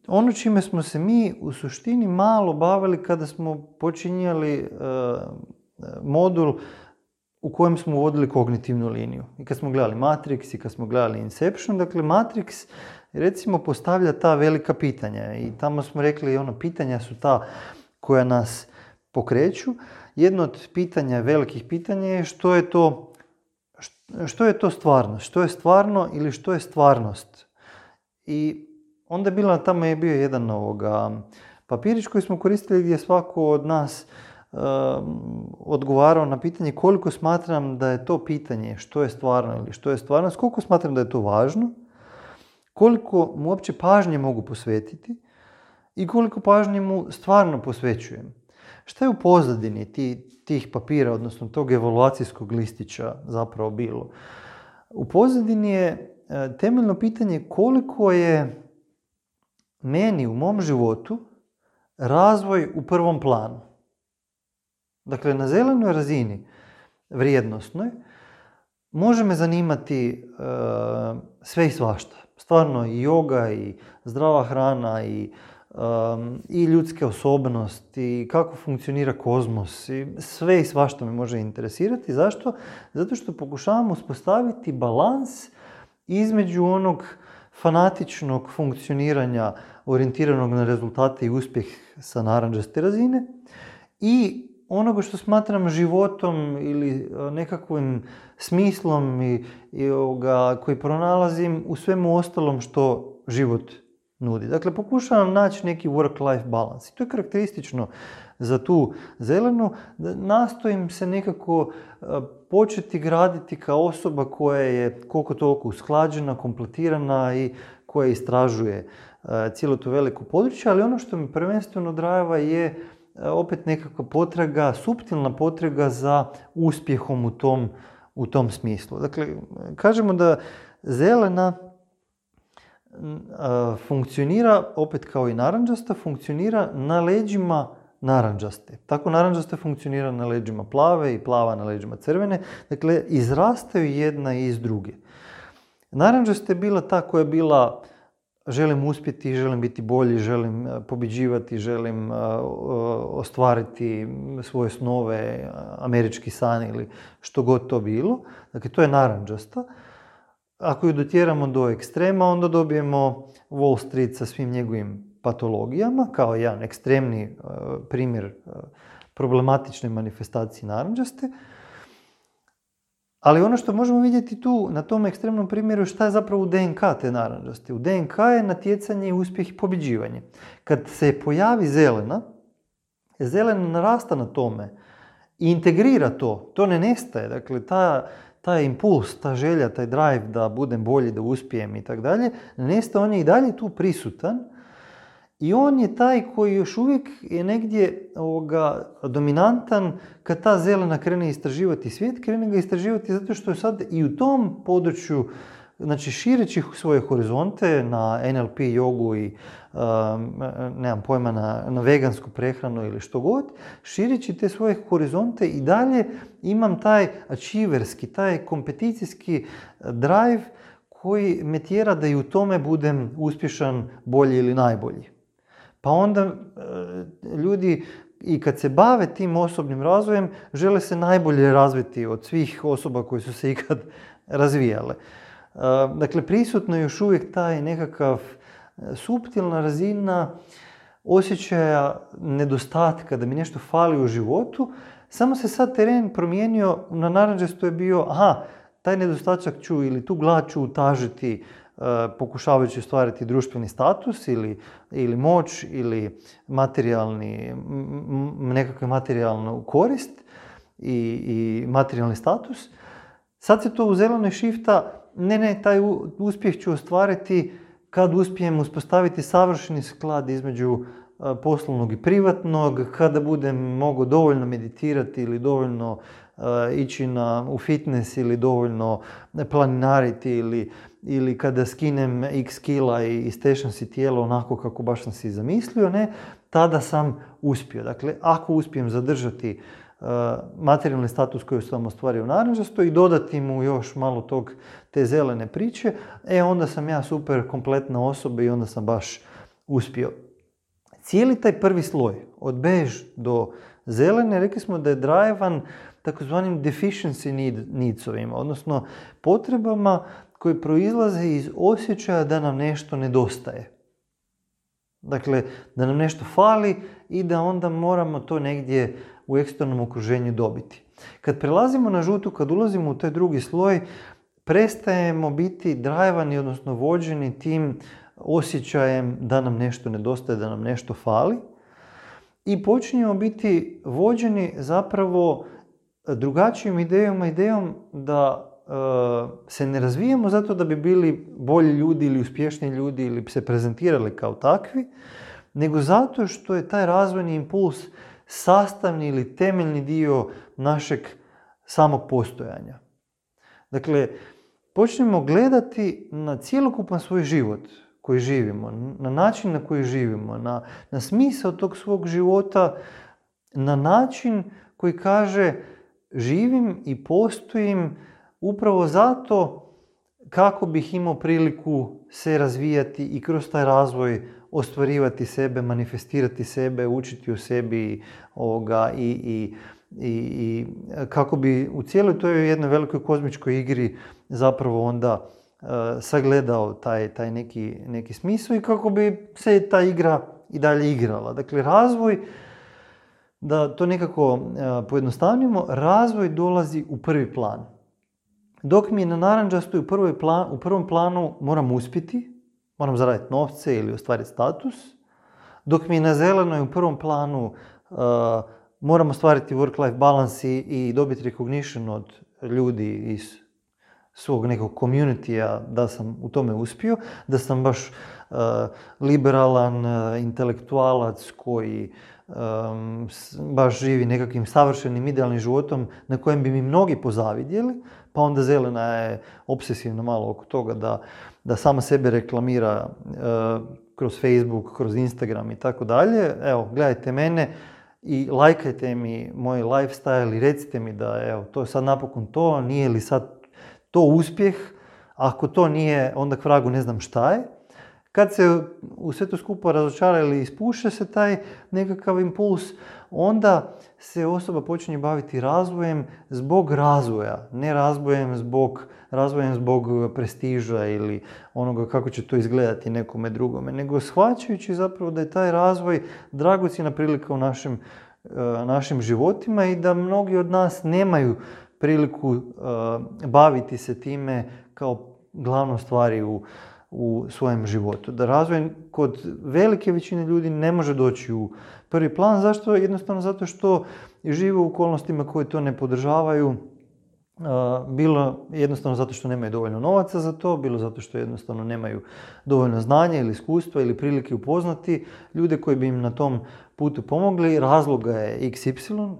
ono čime smo se mi u suštini malo bavili kada smo počinjali modul u kojem smo uvodili kognitivnu liniju. I kad smo gledali Matrix i kad smo gledali Inception, dakle Matrix recimo postavlja ta velika pitanja i tamo smo rekli pitanja su ta koja nas pokreću. Jedno od pitanja, velikih pitanja je što je to stvarnost? Što je stvarno ili što je stvarnost? I onda tamo je bio jedan papirić koji smo koristili gdje svako od nas odgovarao na pitanje koliko smatram da je to pitanje što je stvarno ili što je stvarnost, koliko smatram da je to važno, koliko mu uopće pažnje mogu posvetiti i koliko pažnje mu stvarno posvećujem. Šta je u pozadini tih papira, odnosno tog evaluacijskog listića zapravo bilo? U pozadini je temeljno pitanje koliko je meni u mom životu razvoj u prvom planu. Dakle, na zelenoj razini, vrijednosnoj, može me zanimati sve i svašta. Stvarno i joga, i zdrava hrana, i ljudske osobnosti, i kako funkcionira kozmos. I sve i svašta me može interesirati. Zašto? Zato što pokušavam uspostaviti balans između onog fanatičnog funkcioniranja orijentiranog na rezultate i uspjeh sa narandžaste razine i onoga što smatram životom ili nekakvim smislom koji pronalazim u svemu ostalom što život nudi. Dakle, pokušavam naći neki work-life balance. I to je karakteristično za tu zelenu. Nastojim se nekako početi graditi kao osoba koja je koliko toliko usklađena, kompletirana i koja istražuje cijelo to veliko područje, ali ono što mi prvenstveno drajeva je opet nekakva potraga, suptilna potraga za uspjehom u tom smislu. Dakle, kažemo da zelena funkcionira, opet kao i narandžasta, funkcionira na leđima narandžaste. Tako narandžasta funkcionira na leđima plave i plava na leđima crvene. Dakle, izrastaju jedna iz druge. Narandžasta je bila ta koja je bila želim uspjeti, želim biti bolji, želim pobjeđivati, želim ostvariti svoje snove, američki san ili što god to bilo. Dakle, to je narandžasta. Ako ju dotjeramo do ekstrema, onda dobijemo Wall Street sa svim njegovim patologijama, kao jedan ekstremni primjer problematične manifestacije narandžaste. Ali ono što možemo vidjeti tu na tom ekstremnom primjeru šta je zapravo u DNK te narandžaste. U DNK je natjecanje, uspjeh i pobjeđivanje. Kad se pojavi zelena narasta na tome i integrira to ne nestaje. Dakle, taj impuls, ta želja, taj drive da budem bolji, da uspijem i tako dalje, ne nestaje, on je i dalje tu prisutan. I on je taj koji još uvijek je negdje dominantan kad ta zelena krene istraživati svijet, krene ga istraživati zato što je sad i u tom području, znači šireći svoje horizonte na NLP jogu i nemam pojma na vegansku prehranu ili što god, šireći te svoje horizonte i dalje imam taj achieverski, taj kompeticijski drive koji me tjera da i u tome budem uspješan, bolji ili najbolji. Pa onda ljudi i kad se bave tim osobnim razvojem, žele se najbolje razviti od svih osoba koje su se ikad razvijale. Dakle, prisutno je još uvijek taj nekakav suptilna razina osjećaja nedostatka, da mi nešto fali u životu. Samo se sad teren promijenio, na narandžastu je bio, taj nedostatak ću ili tu glad ću utažiti pokušavajući ostvariti društveni status ili moć ili nekakvu materijalnu korist i materijalni status. Sad se to u zelenoj šifta, taj uspjeh ću ostvariti kad uspijem uspostaviti savršeni sklad između poslovnog i privatnog, kada budem mogao dovoljno meditirati ili dovoljno ići u fitness ili dovoljno planinariti ili kada skinem x kila i stešam si tijelo onako kako baš sam si zamislio, tada sam uspio. Dakle, ako uspijem zadržati materijalni status koji sam ostvario u narandžastoj i dodati mu još malo te zelene priče, onda sam ja super kompletna osoba i onda sam baš uspio. Cijeli taj prvi sloj, od bež do zelene, rekli smo da je drivan takozvanim deficiency needsovima, odnosno potrebama koje proizlaze iz osjećaja da nam nešto nedostaje. Dakle, da nam nešto fali i da onda moramo to negdje u eksternom okruženju dobiti. Kad prelazimo na žutu, kad ulazimo u taj drugi sloj, prestajemo biti drivani, odnosno vođeni tim osjećajem da nam nešto nedostaje, da nam nešto fali i počinjemo biti vođeni zapravo drugačijom idejom da se ne razvijamo zato da bi bili bolji ljudi ili uspješniji ljudi ili se prezentirali kao takvi, nego zato što je taj razvojni impuls sastavni ili temeljni dio našeg samog postojanja. Dakle, počnemo gledati na cjelokupan svoj život koji živimo, na način na koji živimo, na smisao tog svog života, na način koji kaže živim i postojim upravo zato kako bih imao priliku se razvijati i kroz taj razvoj ostvarivati sebe, manifestirati sebe, učiti o sebi i kako bi u cijeloj toj jednoj velikoj kozmičkoj igri zapravo onda sagledao taj neki smisao i kako bi se ta igra i dalje igrala. Dakle, razvoj, da to nekako pojednostavnimo, razvoj dolazi u prvi plan. Dok mi je na narančastoj u prvom planu moram uspjeti, moram zaraditi novce ili ostvariti status, dok mi je na zelenoj u prvom planu moram ostvariti work-life balance i dobiti recognition od ljudi iz svog nekog community-a da sam u tome uspio, da sam baš liberalan intelektualac koji baš živi nekakvim savršenim idealnim životom na kojem bi mi mnogi pozavidjeli, pa onda zelena je obsesivno malo oko toga da sama sebe reklamira kroz Facebook, kroz Instagram i tako dalje. Evo, gledajte mene i lajkajte mi moj lifestyle i recite mi da evo, to je sad napokon to, nije li sad to uspjeh, ako to nije, onda k vragu ne znam šta je. Kad se u sve to skupo razočara ili ispuše se taj nekakav impuls, onda se osoba počinje baviti razvojem zbog razvoja, ne razvojem zbog prestiža ili onoga kako će to izgledati nekome drugome, nego shvaćajući zapravo da je taj razvoj dragocjena prilika u našim životima i da mnogi od nas nemaju priliku baviti se time kao glavnom stvari u svojem životu. Da razvoj kod velike većine ljudi ne može doći u prvi plan. Zašto? Jednostavno zato što žive u okolnostima koje to ne podržavaju. Bilo jednostavno zato što nemaju dovoljno novaca za to, bilo zato što jednostavno nemaju dovoljno znanja ili iskustva ili prilike upoznati ljude koji bi im na tom putu pomogli. Razloga je XY,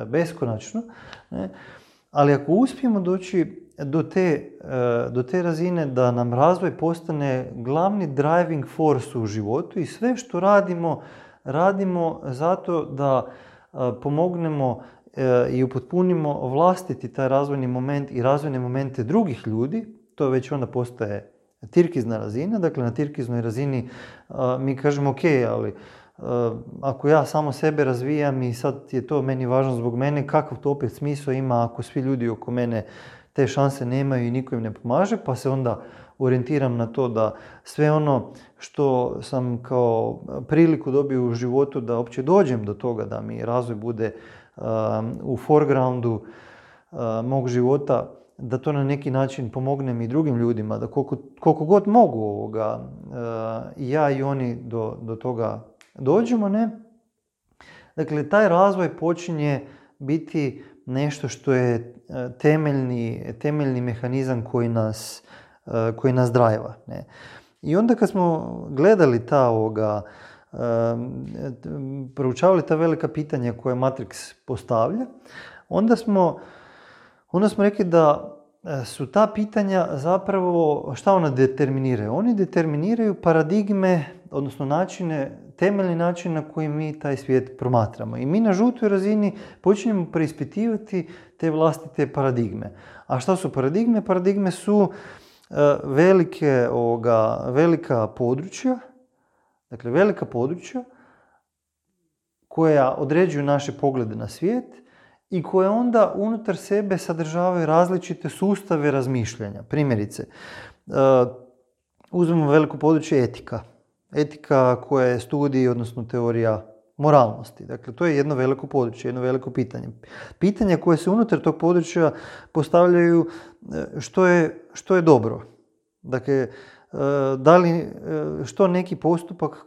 beskonačno. Ne? Ali ako uspijemo doći do te razine da nam razvoj postane glavni driving force u životu i sve što radimo zato da pomognemo i upotpunimo vlastiti taj razvojni moment i razvojne momente drugih ljudi, to već onda postaje tirkizna razina. Dakle, na tirkiznoj razini mi kažemo ok, ali ako ja samo sebe razvijam i sad je to meni važno zbog mene, kakav to opet smisao ima ako svi ljudi oko mene te šanse nemaju i niko im ne pomaže, pa se onda orijentiram na to da sve ono što sam kao priliku dobio u životu da uopće dođem do toga da mi razvoj bude u foregroundu mog života, da to na neki način pomognem i drugim ljudima, da koliko god mogu ja i oni do toga dođemo, ne? Dakle, taj razvoj počinje biti nešto što je temeljni mehanizam koji nas drajva, ne? I onda kad smo gledali proučavali ta velika pitanja koje Matrix postavlja, onda smo rekli da su ta pitanja zapravo, šta ona determiniraju? Oni determiniraju paradigme, odnosno temeljni način na koji mi taj svijet promatramo. I mi na žutoj razini počinjemo preispitivati te vlastite paradigme. A šta su paradigme? Paradigme su velika područja, Dakle, velika područja koja određuju naše poglede na svijet i koje onda unutar sebe sadržavaju različite sustave razmišljanja. Primjerice, uzmemo veliko područje etika. Etika koja je studij, odnosno teorija moralnosti. Dakle, to je jedno veliko područje, jedno veliko pitanje. Pitanja koje se unutar tog područja postavljaju što je dobro. Dakle, da li što neki postupak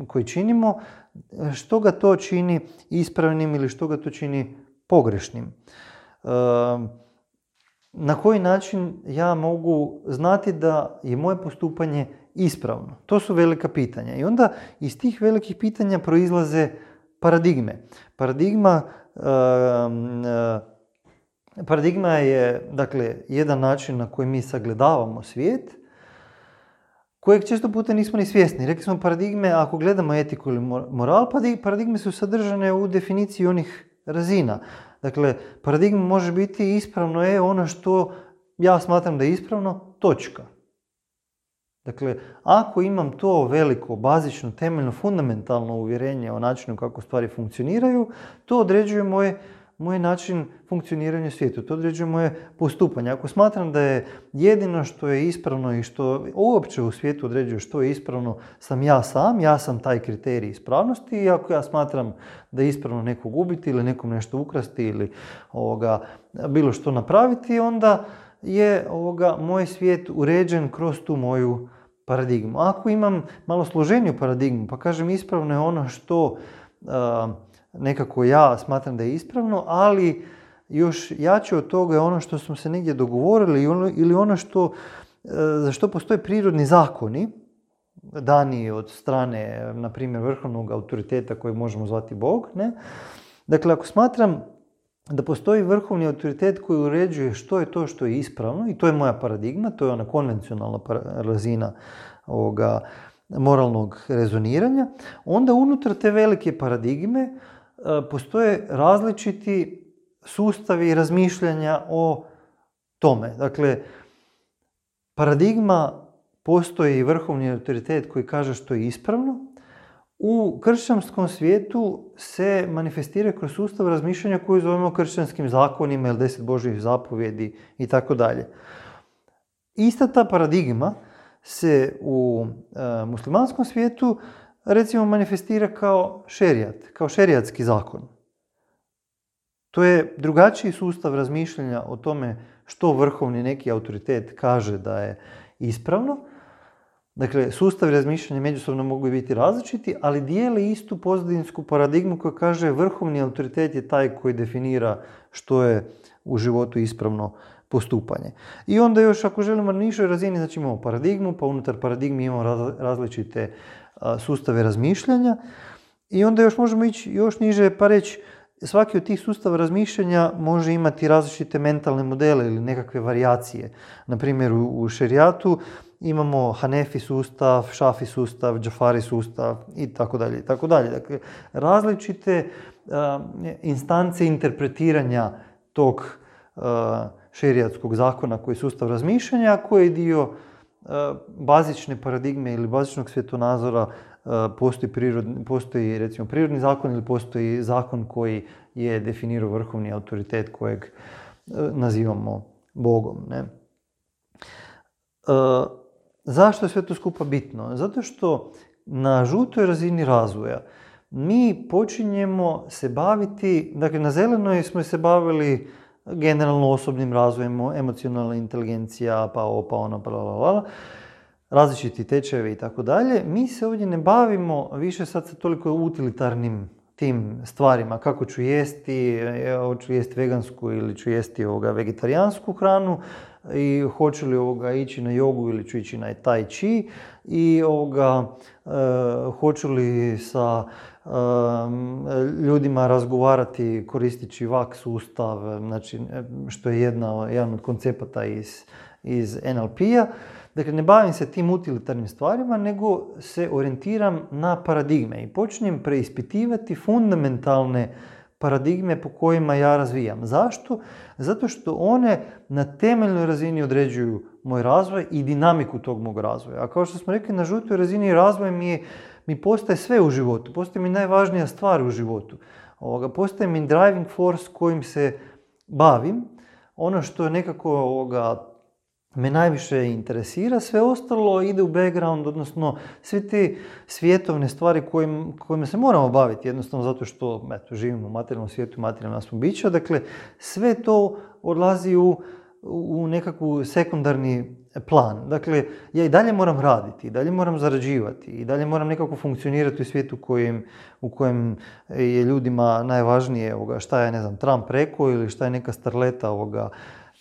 koji činimo, što ga to čini ispravnim ili što ga to čini pogrešnim. Na koji način ja mogu znati da je moje postupanje ispravno? To su velika pitanja. I onda iz tih velikih pitanja proizlaze paradigme. Paradigma je, dakle, jedan način na koji mi sagledavamo svijet, kojeg često puta nismo ni svjesni. Rekli smo paradigme, ako gledamo etiku ili moral, paradigme su sadržane u definiciji onih razina. Dakle, paradigma može biti ispravno je ono što ja smatram da je ispravno, točka. Dakle, ako imam to veliko, bazično, temeljno, fundamentalno uvjerenje o načinu kako stvari funkcioniraju, to određuje moj način funkcioniranja u svijetu, to određuje moje postupanje. Ako smatram da je jedino što je ispravno i što uopće u svijetu određuje što je ispravno sam ja sam taj kriterij ispravnosti, i ako ja smatram da je ispravno nekog ubiti ili nekom nešto ukrasti ili bilo što napraviti, onda je moj svijet uređen kroz tu moju paradigmu. Ako imam malo složeniju paradigmu, pa kažem ispravno je ono što nekako ja smatram da je ispravno, ali još jače od toga je ono što smo se negdje dogovorili ili ono za što postoje prirodni zakoni, dani od strane, na primjer, vrhovnog autoriteta kojeg možemo zvati Bog. Ne? Dakle, ako smatram da postoji vrhovni autoritet koji uređuje što je to što je ispravno, i to je moja paradigma, to je ona konvencionalna razina moralnog rezoniranja, onda unutar te velike paradigme postoje različiti sustavi razmišljanja o tome. Dakle, paradigma postoji vrhovni autoritet koji kaže što je ispravno. U kršćanskom svijetu se manifestira kroz sustav razmišljanja koji zovemo kršćanskim zakonima ili 10 Božjih zapovjedi i tako dalje. Ista ta paradigma se u muslimanskom svijetu recimo manifestira kao šerijat, kao šerijatski zakon. To je drugačiji sustav razmišljanja o tome što vrhovni neki autoritet kaže da je ispravno. Dakle, sustavi razmišljanja međusobno mogu biti različiti, ali dijele istu pozadinsku paradigmu koja kaže vrhovni autoritet je taj koji definira što je u životu ispravno postupanje. I onda još ako želimo na nižoj razini, znači imamo paradigmu, pa unutar paradigmi imamo različite sustave razmišljanja i onda još možemo ići još niže pa reći svaki od tih sustava razmišljanja može imati različite mentalne modele ili nekakve varijacije. Na primjer, u šerijatu imamo Hanefi sustav, Šafi sustav, Džafari sustav i tako dalje, i tako dalje. Dakle, različite instance interpretiranja tog šerijatskog zakona koji je sustav razmišljanja, koji je dio bazične paradigme ili bazičnog svjetonazora. Postoji recimo prirodni zakon ili postoji zakon koji je definirao vrhovni autoritet kojeg nazivamo Bogom. Ne? Zašto je sve to skupa bitno? Zato što na žutoj razini razvoja mi počinjemo se baviti, dakle na zelenoj smo se bavili generalno osobnim razvojem, emocionalna inteligencija, pa ono, različiti tečajevi i tako dalje. Mi se ovdje ne bavimo više sad sa toliko utilitarnim tim stvarima, kako ću jesti, hoću jesti vegansku ili ću jesti vegetarijansku hranu i hoću li ići na jogu ili ću ići na tai chi i hoću li sa ljudima razgovarati koristeći VAK sustav, znači, što je jedan od koncepata iz NLP-a. Dakle, ne bavim se tim utilitarnim stvarima, nego se orijentiram na paradigme i počinjem preispitivati fundamentalne paradigme po kojima ja razvijam. Zašto? Zato što one na temeljnoj razini određuju moj razvoj i dinamiku tog mog razvoja. A kao što smo rekli, na žutoj razini razvoj mi postaje sve u životu, postaje mi najvažnija stvar u životu. Postaje mi driving force kojim se bavim, ono što nekako me najviše interesira, sve ostalo ide u background, odnosno sve te svjetovne stvari kojima se moramo baviti, jednostavno zato što živimo u materijalnom svijetu, materijalna smo bića, dakle sve to odlazi u nekakvu sekundarni plan. Dakle, ja i dalje moram raditi, i dalje moram zarađivati, i dalje moram nekako funkcionirati u svijetu u kojem je ljudima najvažnije šta je, ne znam, Trump rekao ili šta je neka starleta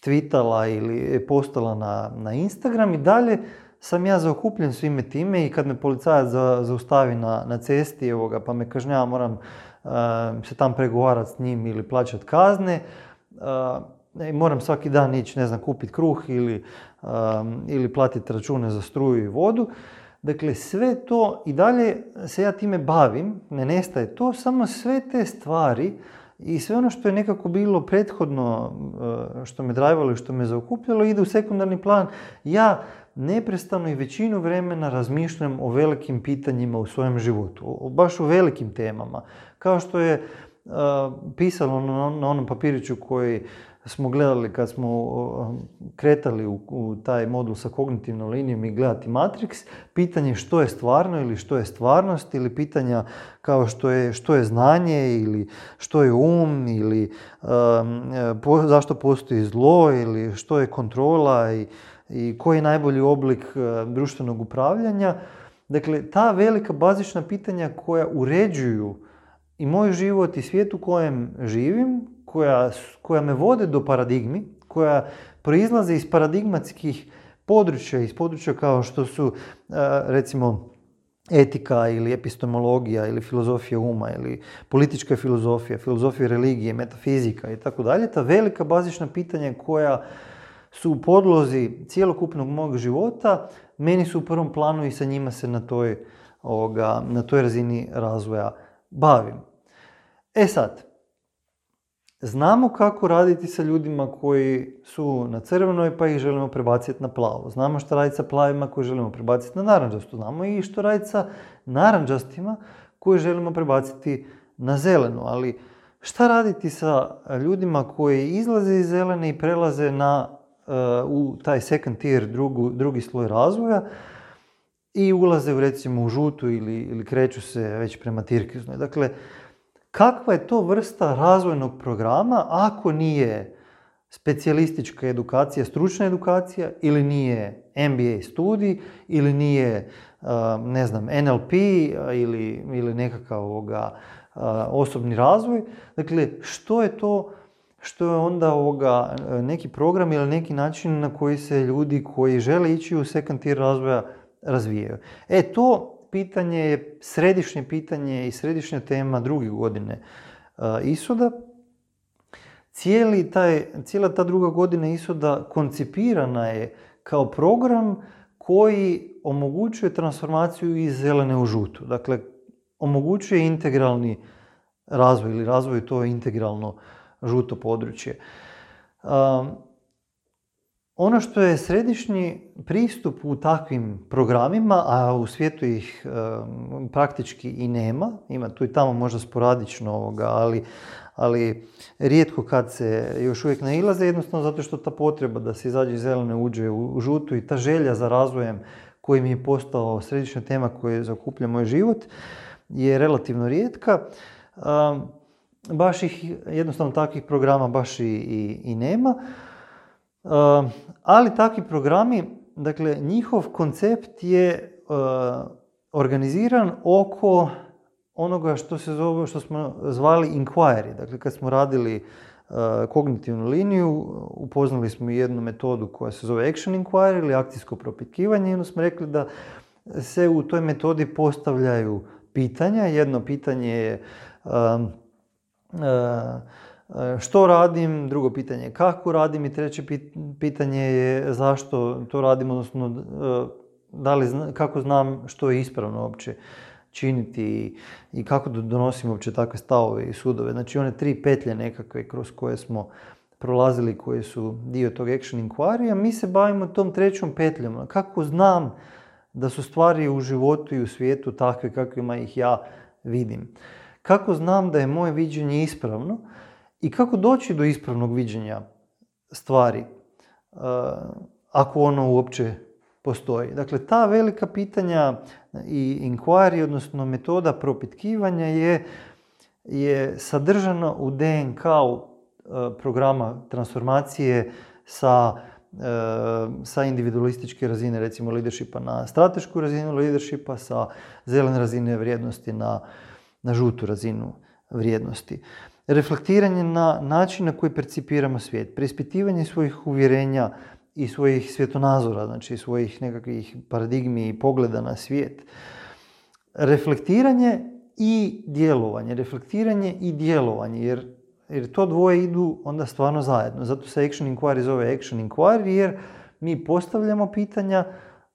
tweetala ili postala na Instagram. I dalje sam ja zaokupljen svime time i kad me policajac zaustavi na cesti pa me kažnjava, moram se tam pregovarati s njim ili plaćati kazne. Moram svaki dan ići, ne znam, kupiti kruh ili platiti račune za struju i vodu. Dakle, sve to i dalje se ja time bavim, ne nestaje to, samo sve te stvari i sve ono što je nekako bilo prethodno, što me drajvalo i što me zaokupljalo, ide u sekundarni plan. Ja neprestano i većinu vremena razmišljam o velikim pitanjima u svojem životu, baš o velikim temama. Kao što je pisalo na onom papiriću koji smo gledali kad smo kretali u taj modul sa kognitivnom linijom i gledati Matrix, pitanje što je stvarno ili što je stvarnost, ili pitanja kao što je znanje ili što je ili zašto postoji zlo ili što je kontrola i koji je najbolji oblik društvenog upravljanja. Dakle, ta velika bazična pitanja koja uređuju i moj život i svijet u kojem živim, koja me vode do paradigmi, koja proizlaze iz paradigmatskih područja, iz područja kao što su recimo etika ili epistemologija ili filozofija uma ili politička filozofija, filozofija religije, metafizika i tako dalje. Ta velika bazična pitanja koja su u podlozi cjelokupnog mog života, meni su u prvom planu i sa njima se na toj razini razvoja bavim. Sad, znamo kako raditi sa ljudima koji su na crvenoj pa ih želimo prebaciti na plavo. Znamo što raditi sa plavima koji želimo prebaciti na narančastu. Znamo i što raditi sa narančastima koji želimo prebaciti na zelenu. Ali šta raditi sa ljudima koji izlaze iz zelene i prelaze u taj second tier, drugi sloj razvoja i ulaze recimo u žutu ili kreću se već prema tirkiznoj. Dakle, kakva je to vrsta razvojnog programa ako nije specijalistička edukacija, stručna edukacija, ili nije MBA studij, ili nije, ne znam, NLP ili nekakav osobni razvoj. Dakle, što je to što je onda neki program ili neki način na koji se ljudi koji žele ići u second tier razvoja razvijaju. To pitanje je središnje pitanje i središnja tema druge godine ISOD-a. Cijela ta druga godina ISOD-a koncipirana je kao program koji omogućuje transformaciju iz zelene u žutu. Dakle, omogućuje integralni razvoj ili razvoj to integralno žuto područje. Ono što je središnji pristup u takvim programima, a u svijetu ih praktički i nema, ima tu i tamo možda sporadično, ali rijetko kad se još uvijek nailaze, jednostavno zato što ta potreba da se izađe iz zelene uđe u žutu i ta želja za razvojem koji mi je postao središnja tema koja zaokuplja moj život je relativno rijetka. Baš ih, jednostavno takvih programa baš i nema. Ali takvi programi, dakle, njihov koncept je organiziran oko onoga što smo zvali inquiry. Dakle, kad smo radili kognitivnu liniju, upoznali smo jednu metodu koja se zove action inquiry ili akcijsko propitkivanje i onda smo rekli da se u toj metodi postavljaju pitanja. Jedno pitanje je što radim, drugo pitanje je kako radim i treće pitanje je zašto to radim, odnosno kako znam što je ispravno uopće činiti i kako donosimo uopće takve stavove i sudove. Znači one 3 petlje nekakve kroz koje smo prolazili, koje su dio tog action inquiry, a mi se bavimo tom 3. petljom. Kako znam da su stvari u životu i u svijetu takve kakvima ih ja vidim? Kako znam da je moje viđenje ispravno i kako doći do ispravnog viđenja stvari, ako ono uopće postoji? Dakle, ta velika pitanja i inquiry, odnosno metoda propitkivanja je sadržana u DNK-u programa transformacije sa individualističke razine, recimo leadershipa na stratešku razinu leadershipa, sa zelene razine vrijednosti na žutu razinu vrijednosti. Reflektiranje na način na koji percipiramo svijet, preispitivanje svojih uvjerenja i svojih svjetonazora, znači svojih nekakvih paradigmi i pogleda na svijet. Reflektiranje i djelovanje, jer to dvoje idu onda stvarno zajedno. Zato se action inquiry zove action inquiry, jer mi postavljamo pitanja,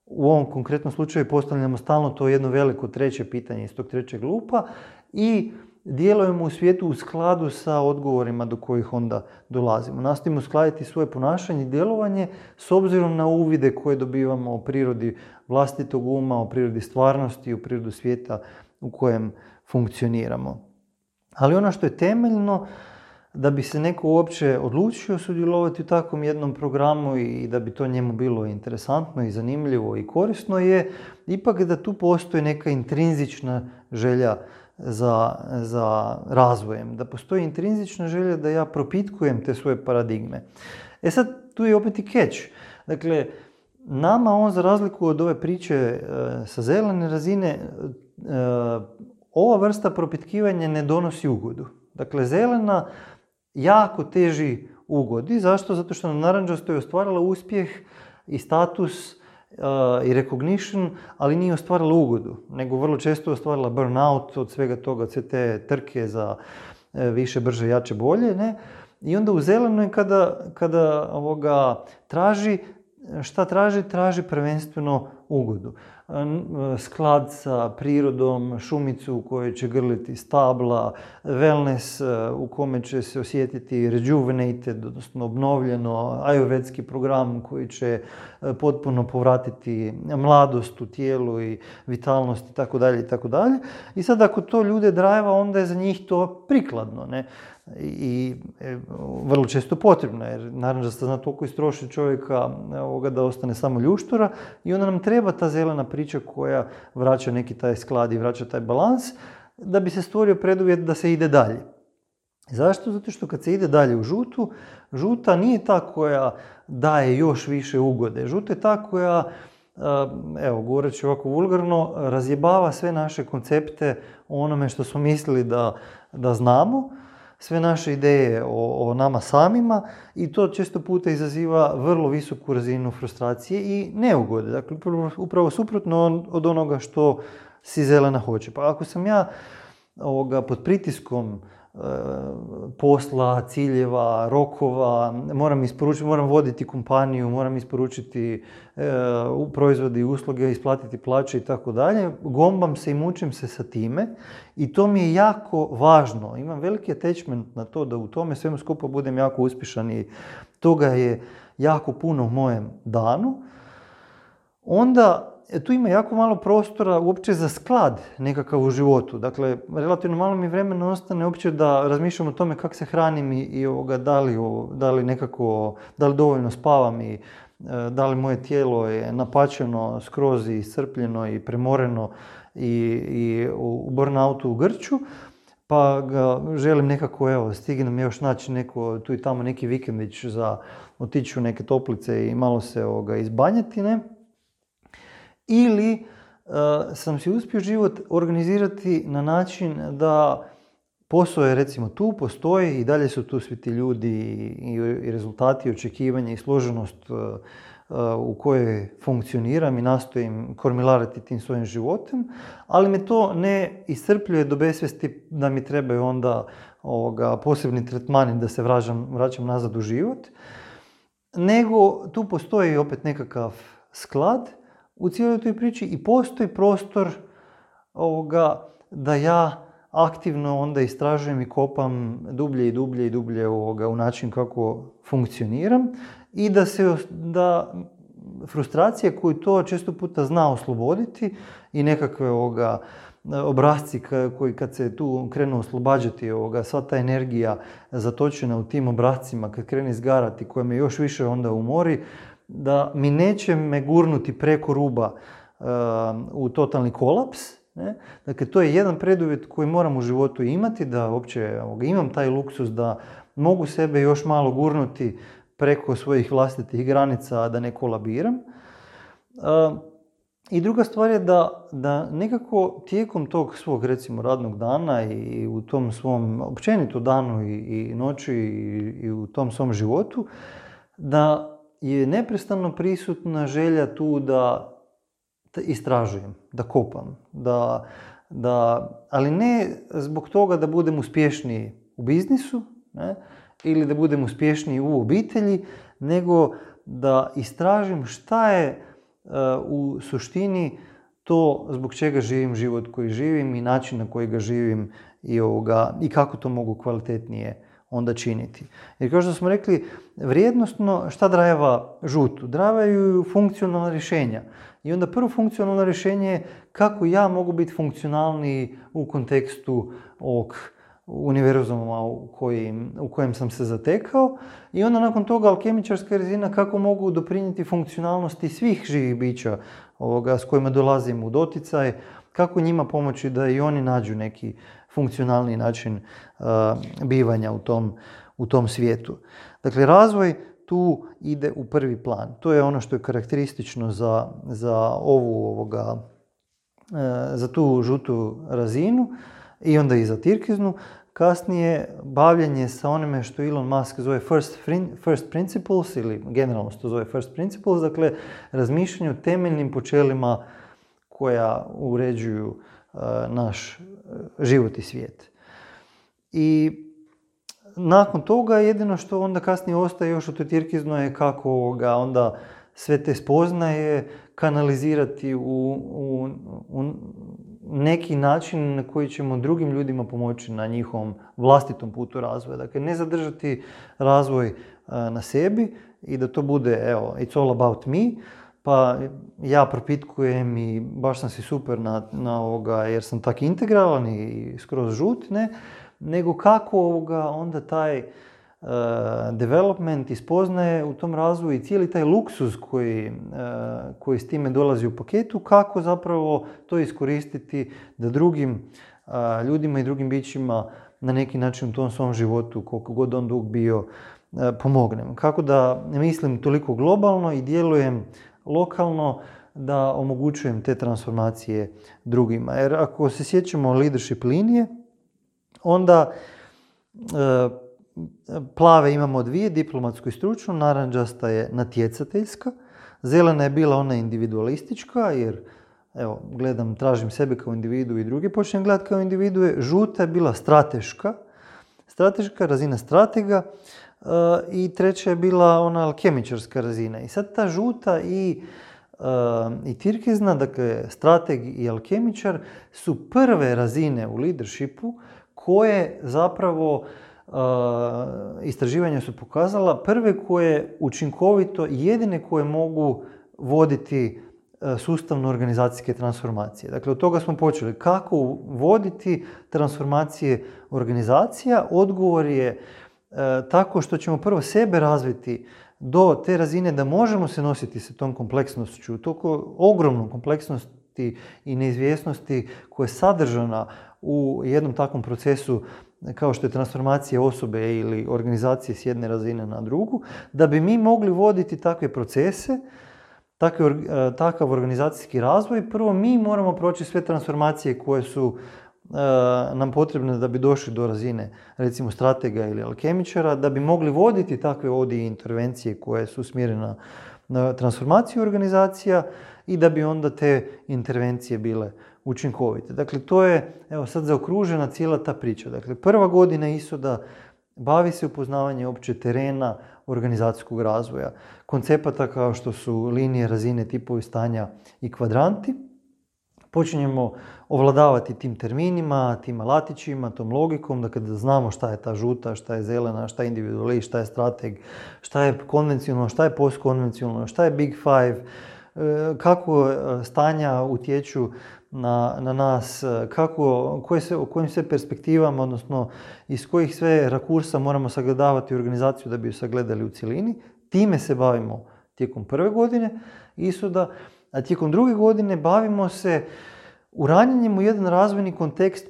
u ovom konkretnom slučaju postavljamo stalno to jedno veliko 3. pitanje iz tog 3. lupa i djelujemo u svijetu u skladu sa odgovorima do kojih onda dolazimo. Nastojimo uskladiti svoje ponašanje i djelovanje s obzirom na uvide koje dobivamo o prirodi vlastitog uma, o prirodi stvarnosti, o prirodu svijeta u kojem funkcioniramo. Ali ono što je temeljno, da bi se neko uopće odlučio sudjelovati u takvom jednom programu i da bi to njemu bilo interesantno i zanimljivo i korisno, je ipak da tu postoji neka intrinzična želja za razvojem, da postoji intrinzična želja da ja propitkujem te svoje paradigme. Sad, tu je opet i catch. Dakle, nama on, za razliku od ove priče sa zelene razine, ova vrsta propitkivanja ne donosi ugodu. Dakle, zelena jako teži ugodi. Zašto? Zato što na narančastoj je ostvarila uspjeh i status i recognition, ali nije ostvarila ugodu, nego vrlo često je ostvarila burnout od svega toga, od sve te trke za više, brže, jače, bolje. Ne? I onda u zelenoj kada traži, šta traži? Traži prvenstveno ugodu. Sklad sa prirodom, šumicu u kojoj će grliti stabla, wellness u kome će se osjetiti rejuvenated, odnosno obnovljeno, ajurvedski program koji će potpuno povratiti mladost u tijelu i vitalnost itd. itd. I sad ako to ljude drajeva, onda je za njih to prikladno, ne? I vrlo često potrebno, jer naravno da se zna toliko istroši čovjeka da ostane samo ljuštura, i onda nam treba ta zelena priča koja vraća neki taj sklad i vraća taj balans, da bi se stvorio preduvjet da se ide dalje. Zašto? Zato što kad se ide dalje u žutu, žuta nije ta koja daje još više ugode. Žuta je ta koja, govoreći ovako vulgarno, razjebava sve naše koncepte o onome što smo mislili da znamo, sve naše ideje o nama samima, i to često puta izaziva vrlo visoku razinu frustracije i neugode. Dakle, upravo suprotno od onoga što si zelena hoće. Pa ako sam ja pod pritiskom posla, ciljeva, rokova, moram voditi kompaniju, moram isporučiti proizvode i usluge, isplatiti plaće i tako dalje, gombam se i mučim se sa time, i to mi je jako važno. Imam veliki attachment na to da u tome svemu skupa budem jako uspješan i toga je jako puno u mojem danu. Onda tu ima jako malo prostora uopće za sklad nekakav u životu. Dakle, relativno malo mi vremena ostane uopće da razmišljam o tome kako se hranim i da li dovoljno spavam i da li moje tijelo je napačeno, skroz iscrpljeno i premoreno i u burnoutu u grču, pa ga želim nekako, stignem još naći tu i tamo neki vikendić za otići u neke toplice i malo se izbanjati, ne? Ili sam si uspio život organizirati na način da posao je recimo tu, postoji i dalje su tu svi ti ljudi i rezultati, očekivanja i složenost u kojoj funkcioniram i nastojim kormilariti tim svojim životom, ali me to ne iscrpljuje do besvijesti da mi trebaju onda posebni tretmani da se vraćam nazad u život, nego tu postoji opet nekakav sklad u cijeloj toj priči i postoji prostor da ja aktivno onda istražujem i kopam dublje i dublje i dublje u način kako funkcioniram i da frustracija koju to često puta zna osloboditi i nekakve obrasci koji kad se tu krenu oslobađati sva ta energija zatočena u tim obrascima kad krene izgarati koja me još više onda umori, da mi neće me gurnuti preko ruba u totalni kolaps. Ne? Dakle, to je jedan preduvjet koji moram u životu imati, da uopće imam taj luksus da mogu sebe još malo gurnuti preko svojih vlastitih granica, da ne kolabiram. I druga stvar je da nekako tijekom tog svog, recimo, radnog dana i u tom svom općenito danu i noći i u tom svom životu, da je neprestano prisutna želja tu da istražujem, da kopam, ali ne zbog toga da budem uspješniji u biznisu, ne, ili da budem uspješniji u obitelji, nego da istražim šta je u suštini to zbog čega živim život koji živim i način na koji ga živim i kako to mogu kvalitetnije onda činiti. Jer kao što smo rekli, vrijednostno šta drajeva žutu? Drajevaju funkcionalna rješenja. I onda prvo funkcionalno rješenje je kako ja mogu biti funkcionalniji u kontekstu ovog univerzuma u kojem sam se zatekao. I onda nakon toga alkemičarska razina kako mogu doprinijeti funkcionalnosti svih živih bića s kojima dolazim u doticaj, kako njima pomoći da i oni nađu neki funkcionalni način bivanja u tom svijetu. Dakle, razvoj tu ide u prvi plan. To je ono što je karakteristično za tu žutu razinu i onda i za tirkiznu. Kasnije, bavljenje sa onime što Elon Musk zove first principles, ili generalno se to zove first principles, dakle, razmišljanje o temeljnim počelima koja uređuju naš život i svijet. I nakon toga jedino što onda kasnije ostaje još u toj tirkiznoj je kako onda sve te spoznaje kanalizirati u neki način na koji ćemo drugim ljudima pomoći na njihovom vlastitom putu razvoja. Dakle, ne zadržati razvoj na sebi i da to bude, it's all about me, pa ja propitkujem i baš sam si super jer sam tak integralan i skroz žut, ne? Nego kako onda taj development i spoznaje u tom razvoju i cijeli taj luksuz koji s time dolazi u paketu, kako zapravo to iskoristiti da drugim ljudima i drugim bićima na neki način u tom svom životu, koliko god on dug bio, pomognem. Kako da mislim toliko globalno i djelujem lokalno, da omogućujem te transformacije drugima. Jer ako se sjećamo leadership linije, onda plave imamo dvije, diplomatsku i stručnu, narančasta je natjecateljska, zelena je bila ona individualistička, jer tražim sebe kao individu i drugi počnem gledati kao individue, žuta je bila strateška razina stratega i treća je bila ona alkemičarska razina. I sad ta žuta i tirkizna, dakle strateg i alkemičar, su prve razine u leadershipu koje zapravo istraživanja su pokazala, prve koje učinkovito, jedine koje mogu voditi sustavno organizacijske transformacije. Dakle, od toga smo počeli. Kako voditi transformacije organizacija? Odgovor je tako što ćemo prvo sebe razviti do te razine da možemo se nositi sa tom kompleksnošću, toliko ogromnom kompleksnosti i neizvjesnosti koja je sadržana u jednom takvom procesu kao što je transformacija osobe ili organizacije s jedne razine na drugu, da bi mi mogli voditi takve procese, takav organizacijski razvoj, prvo mi moramo proći sve transformacije koje su nam potrebne da bi došli do razine, recimo, stratega ili alkemičara, da bi mogli voditi takve ovdje intervencije koje su usmjerene na transformaciju organizacija i da bi onda te intervencije bile učinkovite. Dakle, to je, sad zaokružena cijela ta priča. Dakle, prva godina ISOD-a bavi se upoznavanje opće terena organizacijskog razvoja, koncepata kao što su linije, razine, tipovi stanja i kvadranti. počinjemo ovladavati tim terminima, tim alatićima, tom logikom, da kada znamo šta je ta žuta, šta je zelena, šta je individualist, šta je strateg, šta je konvencionalno, šta je postkonvencionalno, šta je Big Five, kako stanja utječu na nas, o kojim sve perspektivama, odnosno iz kojih sve rakursa moramo sagledavati organizaciju da bi ju sagledali u cjelini. Time se bavimo tijekom prve godine ishoda, a tijekom druge godine bavimo se uranjanjem u jedan razvojni kontekst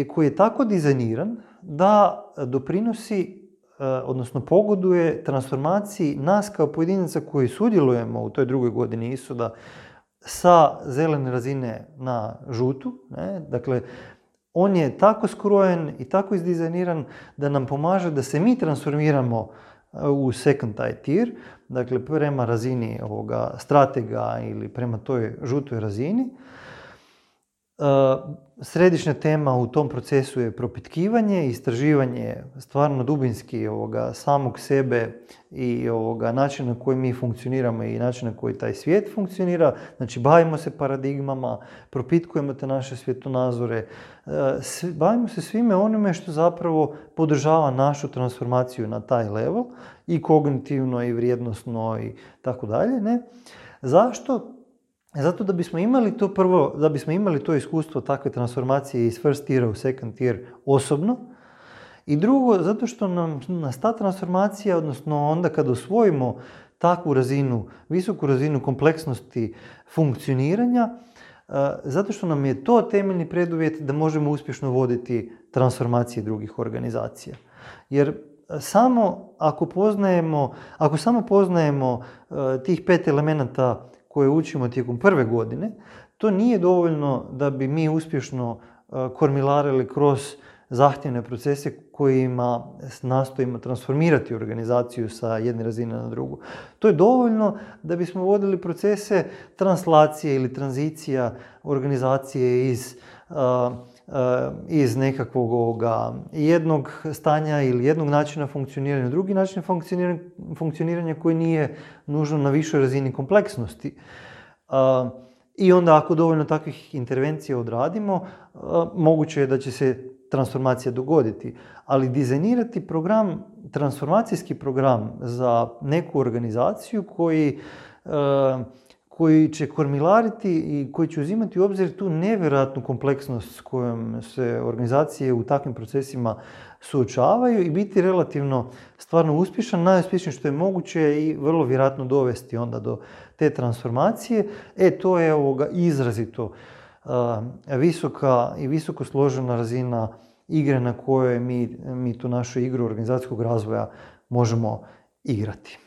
koji je tako dizajniran da doprinosi, odnosno pogoduje transformaciji nas kao pojedinaca koji sudjelujemo u toj drugoj godini ishoda sa zelene razine na žutu. Dakle, on je tako skrojen i tako izdizajniran da nam pomaže da se mi transformiramo u second tier, dakle prema razini ovoga stratega ili prema toj žutoj razini. Središnja tema u tom procesu je propitkivanje, istraživanje stvarno dubinski samog sebe i načina na koji mi funkcioniramo i načina na koji taj svijet funkcionira. Znači, bavimo se paradigmama, propitkujemo te naše svjetonazore, bavimo se svime onime što zapravo podržava našu transformaciju na taj level, i kognitivno i vrijednosno i tako dalje. Zašto? Zato da bismo imali to prvo, da bismo imali to iskustvo takve transformacije iz first tiera u second tier osobno. I drugo, zato što nas ta transformacija, odnosno onda kad osvojimo takvu razinu, visoku razinu kompleksnosti funkcioniranja, zato što nam je to temeljni preduvjet da možemo uspješno voditi transformacije drugih organizacija. Jer ako samo poznajemo tih 5 elemenata koje učimo tijekom prve godine, to nije dovoljno da bi mi uspješno kormilarili kroz zahtjevne procese kojima nastojimo transformirati organizaciju sa jedne razine na drugu. To je dovoljno da bismo vodili procese translacije ili tranzicija organizacije iz nekakvog jednog stanja ili jednog načina funkcioniranja, drugi način funkcioniranja koji nije nužno na višoj razini kompleksnosti. I onda ako dovoljno takvih intervencija odradimo, moguće je da će se transformacija dogoditi. Ali dizajnirati transformacijski program za neku organizaciju koji će kormilariti i koji će uzimati u obzir tu nevjerojatnu kompleksnost s kojom se organizacije u takvim procesima suočavaju i biti relativno stvarno uspješan, najuspješnije što je moguće i vrlo vjerojatno dovesti onda do te transformacije. To je izrazito visoka i visoko složena razina igre na kojoj mi tu našu igru organizacijskog razvoja možemo igrati.